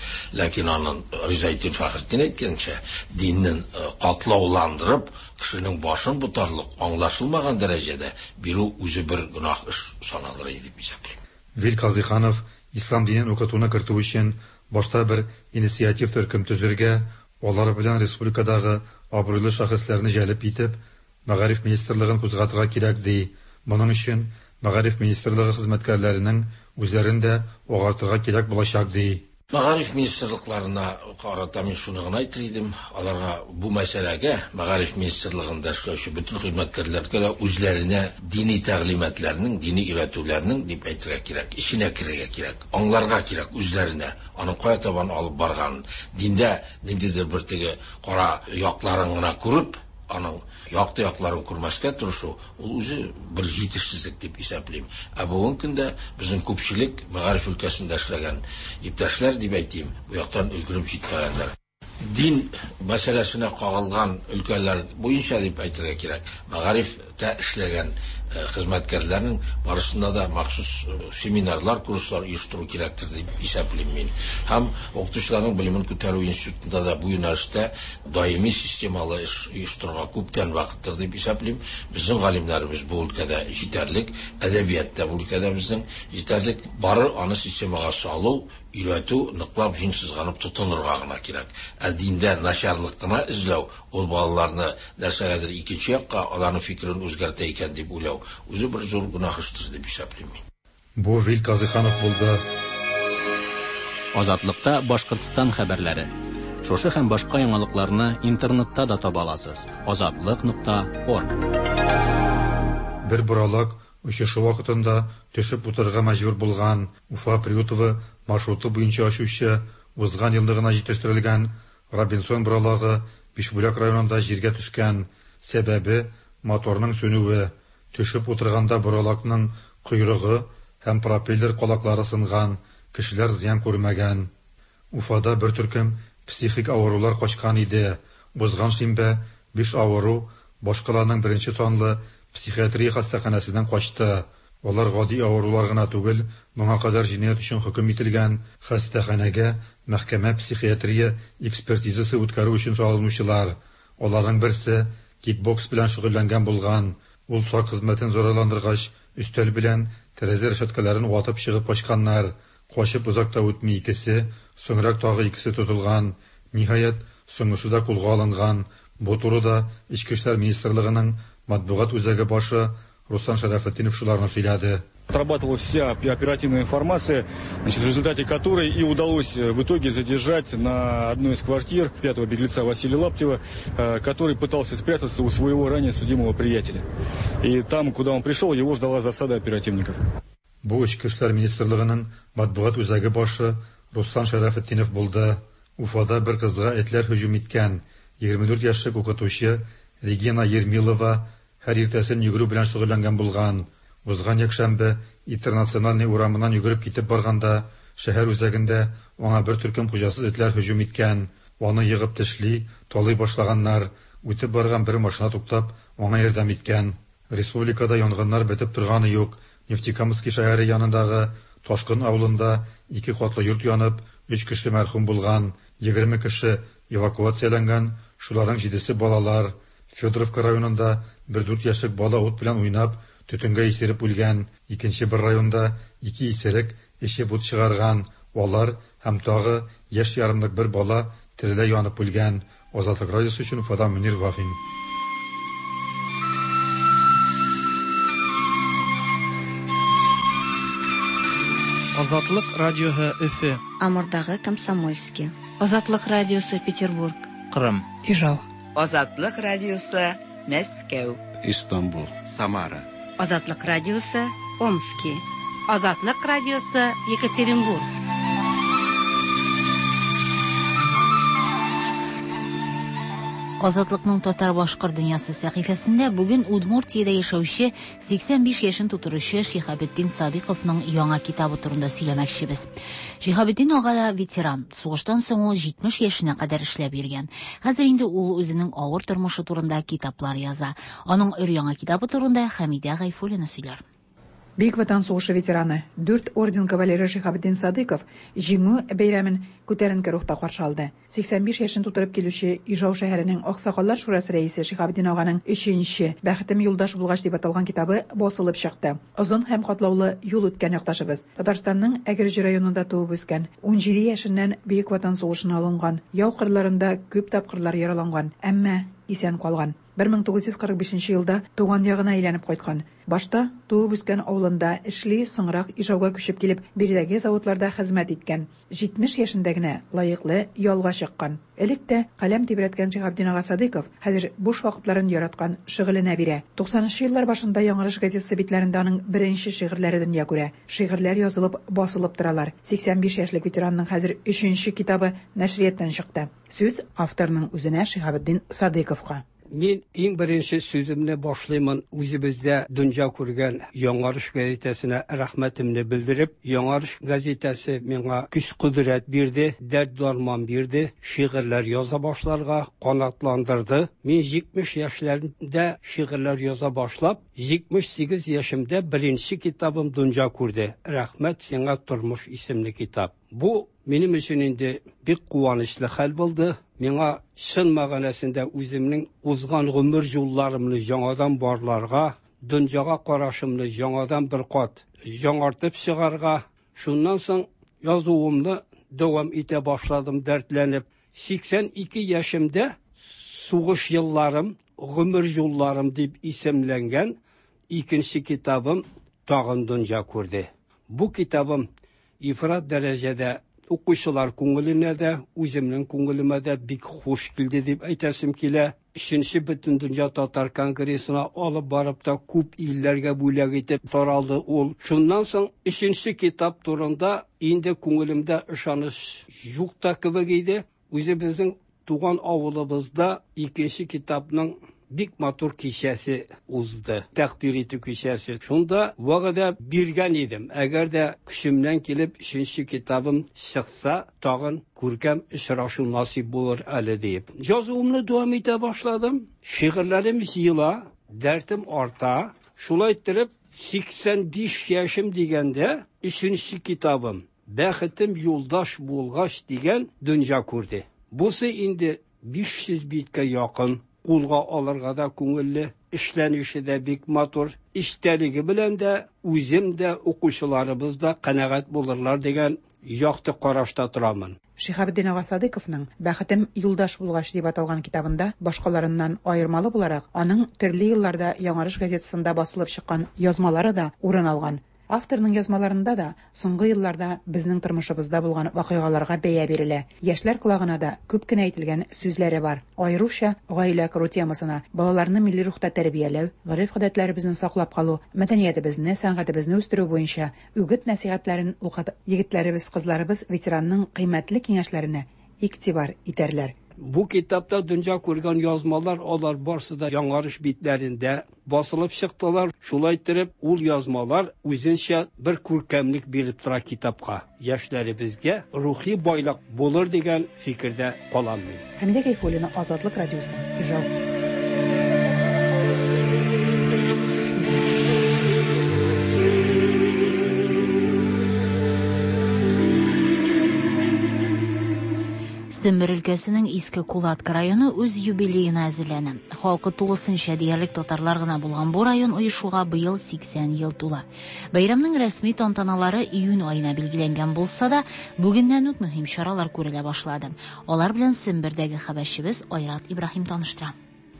[SPEAKER 4] Ләкин анын Ризаэтдин Фәхретдин әйткәнчә, диннен катлауландырып, кешенең башын ботарлык, аңлашылмаган дәрәҗәдә бирү үзе бер гөнаһ эш саналыр иде дип исәплим.
[SPEAKER 34] Вил Казыйханов ислам динен укытуны кертү өчен башта бер инициатив төркем төзергә, алар белән республикадагы абруйлы шәхесләрне җәлеп итеп, Мәгариф министрлыгын кузгатырга кирәк, ди. Моның өчен Мәгариф министрлыгы хезмәткәрләренең үзләрен дә агартырга кирәк булачак, ди.
[SPEAKER 4] Мәгариф министрлыкларына карата мин шуны гына әйтер идем, аларга бу мәсьәләгә, Мәгариф министрлыгында эшләүче бөтен хезмәткәрләргә дә үзләренә дини тәгълиматларның, дини өйрәтүләрнең, дип әйтергә кирәк, эченә керергә кирәк, аңларга кирәк үзләренә, аның кая табан алып барганын, диндә ниндидер бер теге кара якларын гына күреп, аның якты якларын күрмәскә тырышу, ул үзе бер җитешсезлек дип исәплим. Ә бүгенге көндә безнең күпчелек мәгариф өлкәсендә эшләгән иптәшләр, дип әйтим, бу яктан өлгереп җитмәгәннәр. Дин мәсьәләсенә кагылган өлкәләр буенча дип әйтергә кирәк, мәгарифтә эшләгән хезмәткәрләрнең барысында да махсус семинарлар, курслар оештыру кирәктер дип исәплим мин. Һәм укытучыларның белемен күтәрү институтында да бу юнәлештә даими системалы эш оештырырга күптән вакыттыр дип исәплим. Безнең галимнәребез бу өлкәдә җитәрлек, әдәбият та бу өлкәдә безнең җитәрлек. Бары аны системага салу, өйрәтү, ныклап җиң сызганып тотынырга гына кирәк. Ә диндә начарлык кына эзләү, ул балаларны нәрсәгәдер икенче якка, аларның фикерен үзгәртә икән дип уйлау, үзе бер зур гөнаһ эштер дип исәплим мин.
[SPEAKER 34] Бу Вил Казыйханов булды.
[SPEAKER 1] Азатлыкта Башкортстан хәбәрләре. Шушы һәм башка яңалыкларны интернетта да таба аласыз. Азатлык нокта орг.
[SPEAKER 34] Бер боралак очышы вакытында төшеп утырырга мәҗбүр булган Уфа Приютово маршруты буенча очучы, узган елны гына җитештерелгән Робинсон боралагы Бишбүләк районында җиргә төшкән. Сәбәбе, моторның сүнүе. Төшеп утырганда боралакның койрыгы һәм пропеллер калаклары сынган, кешеләр зыян күрмәгән. Уфада бер төркем психик авырулар качкан иде. Узган шимбә биш авыру башкаланың беренче санлы психиатрия хастаханәсеннән качты. Алар гади авырулар гына түгел, моңа кадәр җинаять өчен хөкем ителгән, хастаханәгә мәхкәмә-психиатрия экспертизасы үткәрү өчен салынучылар. Аларның берсе кикбокс белән шөгыльләнгән булган. Ул сак хезмәтен зарарландыргач, өстәл белән тәрәзә рәшәткәләрен ватып чыгып качканнар. Качып озак та үтми икесе, соңрак тагы икесе тотылган. Ниһаять, соңгысы да кулга алынган. Бу турыда Эчке эшләр министрлыгының матбугат үзәге башы Руслан Шәрәфетдинов шуларны сөйләде.
[SPEAKER 5] Отрабатывалась вся оперативная информация, значит, в результате которой и удалось в итоге задержать на одной из квартир пятого беглеца Василия Лаптева, который пытался спрятаться у своего ранее судимого приятеля. И там, куда он пришел, его ждала засада оперативников.
[SPEAKER 34] Бу Эчке эшләр министрлыгының матбугат үзәге башы Руслан Шәрәфетдинов булды. Уфада бер кызга этләр һөҗүм иткән. 24 яшьлек укытучы Регина Ермилова һәр иртәсен йөгерү белән шөгыльләнгән булган. Узган якшәмбе Интернациональный урамыннан йөгереп китеп барганда, шәһәр үзәгендә аңа бер төркем хуҗасыз этләр һөҗүм иткән. Аны егып тешли, талый башлаганнар. Үтеп барган бер машина туктап, аңа ярдәм иткән. Республикада янгыннар бетеп торганы юк. Нефтекамски шәһәре янындагы Ташкын авылында ике катлы йорт янып, өч кеше мәрхүм булган. 20 кеше эвакуацияләнгән, шуларның җидесе балалар. Федоровка районында бер дүрт яшьлек бала ут белән уйнап, төтенгә исереп үлгән. Икенче бер районда ике исерек эчеп ут чыгарган. Алар һәм тагы яшь ярымлык бер бала тереләй янып үлгән. Азатлык радиосы өчен Уфадан Мөнир Вафин.
[SPEAKER 6] Азатлык радиоһы Өфе.
[SPEAKER 7] Амурдагы Комсомольски.
[SPEAKER 8] Азатлык радиосы Петербург.
[SPEAKER 1] Кырым.
[SPEAKER 9] Ижау.
[SPEAKER 10] Азатлык радиосы Мәскәү.
[SPEAKER 12] Истанбул.
[SPEAKER 13] Самара.
[SPEAKER 14] Азатлык радиосы Омски.
[SPEAKER 15] Азатлык радиосы Екатеринбург.
[SPEAKER 2] Азатлыкның татар-башкорт дөньясы сәхифәсендә бүген Удмуртиядә яшәүче 85 яшен тутыручы Шиһабетдин Садыйковның яңа китабы турында сөйләмәкчебез. Шиһабетдин ага да ветеран. Сугыштан соң ул 70 яшенә кадәр эшләп йөргән. Хәзер инде ул үзенең авыр тормышы турында китаплар яза. Аның өр-яңа китабы турында Хәмидә Гайфуллина сөйләр.
[SPEAKER 16] Бөек Ватан сугышы ветераны, дүрт орден кавалеры Шиһабетдин Садыйков Җиңү бәйрәмен күтәренке рухта каршы алды. 85 яшен тутырып килүче Ижау шәһәренең Аксакаллар шурасы рәисе Шиһабетдин аганың өченче Бәхетем юлдаш булгач дип аталган китабы басылып чыкты. Озын һәм катлаулы юл үткән якташыбыз. Татарстанның Әгерҗе районында туып үскән. 17 яшеннән Бөек Ватан сугышына алынган. Яу кырларында күп тапкырлар яраланган, әмма исән калган. 1945 елда туган ягына әйләнеп кайткан. Башта туып үскән авылында эшли, соңрак Ижауга күчеп килеп, биредәге заводларда хезмәт иткән. 70 яшендә генә лаеклы ялга чыккан. Элек тә каләм тибрәткән Шиһабетдин ага Садыйков хәзер буш вакытларын яраткан шөгыленә бирә. 90 нчы еллар башында Яңарыш газетасы битләрендә аның беренче шигырьләре дөнья күрә. Шигырьләр язылып, басылып торалар. 85 яшьлек ветеранның хәзер өченче китабы нәшрияттан чыкты. Сүз авторның үзенә Шиһабетдин Садыйковка.
[SPEAKER 31] Мин иң беренче сүземне башлыймын үзебездә дөнья күргән Яңарыш газетасына рәхмәтемне белдереп. Яңарыш газетасы миңа көч-кодрәт бирде, дәрт-дарман бирде, шигырьләр яза башларга канатландырды. Мин 70 яшьләремдә шигырьләр яза башлап, 78 яшемдә беренче китабым дөнья күрде. Рәхмәт сиңа, тормыш исемле китап. Бу минем өчен инде бик куанычлы хәл булды. Миңа чын мәгънәсендә үземнең узган гомер юлларымны яңадан барларга, дөньяга карашымны яңадан бер кат яңартып чыгарга, шуннан соң язуымны дәвам итә башладым дәртләнеп. 82 яшемдә Сугыш елларым, гомер юлларым дип исемләнгән икенче китабым тагын дөнья күрде. Бу китабым ифрат дәрәҗәдә укучылар күңеленә дә, үземнең күңелемә дә бик хуш килде дип әйтәсем килә. Өченче Бөтендөнья татар конгрессына алып барып та күп илләргә бүләк итеп таралды ул. Шуннан соң өченче китап турында инде күңелемдә ышаныч юк та кебек иде. Үзебезнең туган авылыбызда икенче китапның бик матур кичәсе узды. Тәкъдир итү кичәсе. Шунда вәгъдә биргән идем. Әгәр дә көчемнән килеп өченче китабым чыкса, тагын күркәм очрашу насыйп булыр әле диеп. Язуымны дәвам итә башладым. Шигырьләрем җыела, дәртем арта. Шулай иттереп, 85 яшем дигәндә өченче китабым Бәхетем юлдаш булгач дигән дөнья күрде. Бусы инде 500 биткә якын, кулга алырга да күңелле, эшләнеше дә бик матур, эчтәлеге белән дә үзем дә, укучыларыбыз да канәгать булырлар дигән якты карашта торамын.
[SPEAKER 16] Шиһабетдин ага Садыйковның Бәхетем юлдаш булгач дип аталган китабында башкаларыннан аермалы буларак, аның төрле елларда Яңарыш газетасында басылып чыккан язмалары да урын алган. Авторның язмаларында да соңгы елларда безнең тормышыбызда булган вакыйгаларга бәя бирелә. Яшьләр колагына да күп кенә әйтелгән сүзләре бар. Аеруча гаилә кору темасына, балаларны милли рухта тәрбияләү, гореф-гадәтләребезне саклап калу, мәдәниятебезне, сәнгатебезне үстерү буенча үгет-нәсыйхәтләрен укып, егетләребез, кызларыбыз ветеранның кыйммәтле киңәшләренә игътибар итәрләр.
[SPEAKER 31] Бу китапта дөнья күргән язмалар алар барсы да Яңарыш битләрендә басылып чыктылар. Шулай иттереп, ул язмалар үзенчә бер күркәмлек биреп тора китапка. Яшьләребезгә рухи байлык булыр дигән фикердә калам мин.
[SPEAKER 16] Хәмидә Гайфуллина, Азатлык радиосы, Ижау.
[SPEAKER 2] Сембер өлкәсенең Иске Кулатка районы үз юбилеена әзерләнә. Халкы тулысынча диярлек татарлар гына булган бу район оешуга быел 80 ел тула. Бәйрәмнең рәсми тантаналары июнь аена билгеләнгән булса да, бүгеннән үк мөһим чаралар күрелә башлады. Алар белән Сембердәге хәбәрчебез Айрат Ибраһим таныштыра.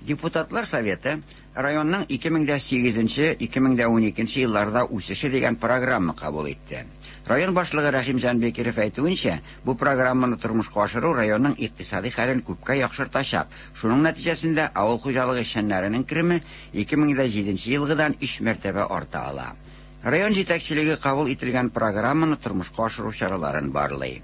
[SPEAKER 9] Депутатлар Советы районның 2008-2012 елларда үсеше дигән программа кабул итте. Район башлыгы Рәхимҗан Бекиров әйтүенчә, бу программаны тормышка ашыру районның икътисади хәлен күпкә яхшыртачак. Шуның нәтиҗәсендә авыл хуҗалыгы эшчәннәренең кереме 2007 елгыдан 3 мәртәбә арта ала. Район җитәкчелеге кабул ителгән программаны тормышка ашыру чараларын барлый.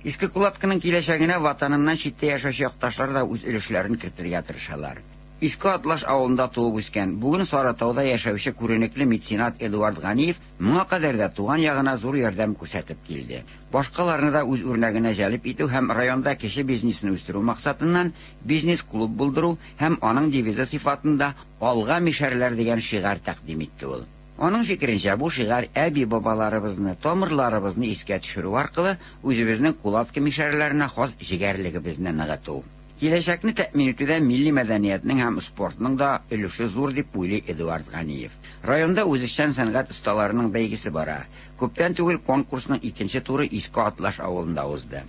[SPEAKER 9] Иске Кулаткының киләчәгенә ватаныннан читтә яшәүче якташлар да үз өлешләрен кертергә тырышалар. Иске Атлаш авылында туып үскән, бүген Сарытауда яшәүче күренекле меценат Эдуард Ганиев моңа кадәр дә туган ягына зур ярдәм күрсәтеп килде. Башкаларны да үз үрнәгенә җәлеп итү һәм районда кече бизнесны үстерү максатыннан бизнес-клуб булдыру һәм аның девизы сыйфатында Алга мишәрләр дигән шигарь тәкъдим итте ул. Аның фикеренчә, бу шигарь әби-бабаларыбызны, тамырларыбызны искә төшерү аркылы үзебезнең Кулатка мишәрләренә хас җегәрлегебезне ныгыту. Киләчәкне тәэмин итүдә милли мәдәниятнең һәм спортның да өлеше зур, дип уйлый Эдуард Ганиев. Районда үзешчән сәнгать осталарының бәйгесе бара. Күптән түгел конкурсның икенче туры Иске Атлаш авылында узды.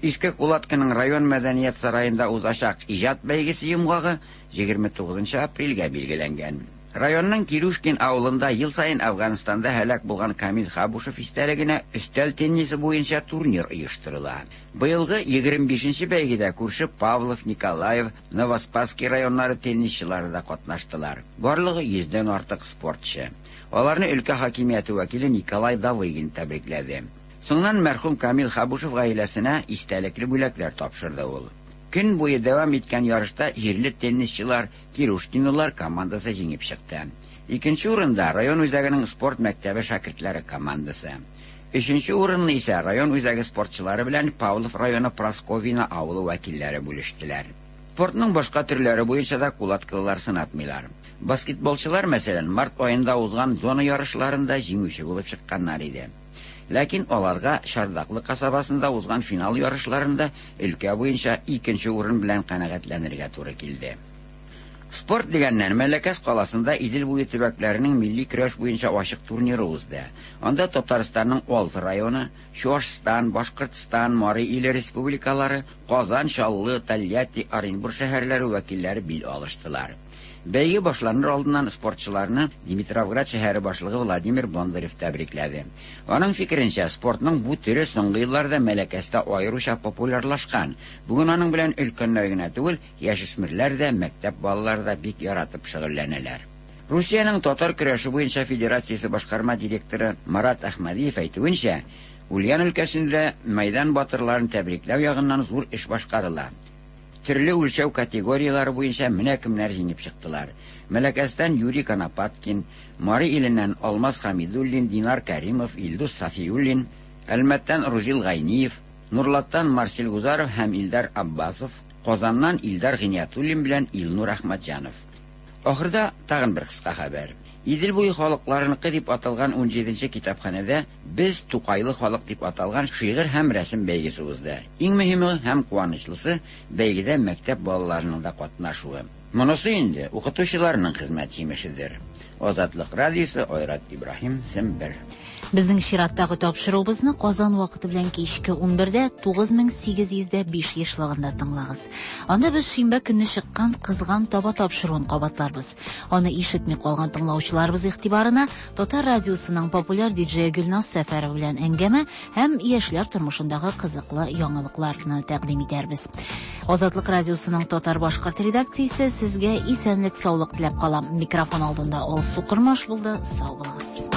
[SPEAKER 9] Иске Кулатканың район мәдәният сараенда узачак иҗат бәйгесе йомгагы 29 апрельгә билгеләнгән. Районның Кирюшкин авылында ел саен Әфганстанда һәлак булган Камил Хабушев истәлегенә өстәл теннисы буенча турнир оештырыла. Быелгы 25 нче бәйгедә күрше Павлов, Николаев, Новоспасский районнары теннисчылары да катнаштылар. Барлыгы йөздән артык спортчы. Аларны өлкә хакимияте вәкиле Николай Давыгин тәбрикләде. Соңыннан мәрхүм Камил Хабушев гаиләсенә истәлекле бүләкләр тапшырды ул. Көн буе дәвам иткән ярышта җирле теннисчылар, Кирушкинолар командасы җиңеп чыкты. Икенче урында, район үзәгенең спорт мәктәбе шәкертләре командасы. Өченче урынны исә район үзәге спортчылары белән Павлов районы Прасковьино авылы вәкилләре бүлештеләр. Спортның башка төрләре буенча да кулаткылылар сынатмыйлар. Баскетболчылар, мәсәлән, март аенда узган зона ярышларында җиңүче булып чыкканнар иде. Ләкин аларга Чардаклы касабасында узган финал ярышларында өлкә буенча икенче урын белән канәгатьләнергә туры килде. Спорт дигәннән, Мәләкәс каласында Идел буе төбәкләренең милли көрәш буенча ачык турниры узды. Анда Татарстанның алты районы, Чуашстан, Башкортстан, Мари Иле республикалары, Казан, Чаллы, Тольятти, Оренбур шәһәрләре вәкилләре бил алыштылар. Бәйге башланыр алдыннан спортчыларны Димитровград шәһәре башлыгы Владимир Бондарев тәбрикләде. Аның фикеренчә, спортның бу төре соңгы елларда Мәләкәстә аеруча популярлашкан. Бүген аның белән өлкәннәр генә түгел, яшүсмерләр дә, мәктәп балалары да бик яратып шөгыльләнәләр. Русиянең татар көрәше буенча федерациясе башкарма директоры Марат Әхмәдиев әйтүенчә, Ульян өлкәсендә мәйдан батырларын тәбрикләү ягыннан зур эш башкарыла. Төрле үлчәү категорияләре буенча менә кемнәр җиңеп чыктылар. Мәләкәстән Юрий Конопаткин, Мари Иленнән Алмаз Хәмидуллин, Динар Кәримов, Илдус Сафиуллин, Әлмәттән Рузил Гайниев, Нурлаттан Марсель Гузаров һәм Илдар Аббасов, Казаннан Илдар Гыйниятуллин белән Илнур Әхмәтҗанов. Ахырда тагын бер кыска хәбәр. Идел буе халыкларыныкы дип аталган унҗиденче китапханәдә Без, Тукайлы халык дип аталган шигырь һәм рәсем бәйгесе узды. Иң мөһиме һәм куанычлысы, бәйгедә мәктәп балаларының да катнашуы. Монысы инде укытучыларның хезмәт җимешедер. Азатлык радиосы, Айрат Ибраһим, Сембер.
[SPEAKER 2] Безнең чираттагы тапшыруыбызны Казан вакыты белән кичке 11дә 9805 ешлыгында тыңлагыз. Анда без шимбә көнне чыккан Кызган таба тапшыруын кабатларбыз. Аны ишетми калган тыңлаучыларыбыз игътибарына Татар радиосының популяр диджее Гөлназ Сәфәрова белән әңгәмә һәм яшьләр тормышындагы кызыклы яңалыкларны тәкъдим итәрбез. Азатлык радиосының татар-башкорт редакциясе сезгә исәнлек-саулык теләп кала. Микрофон алдында Алсу Кормаш булды. Сау булыгыз.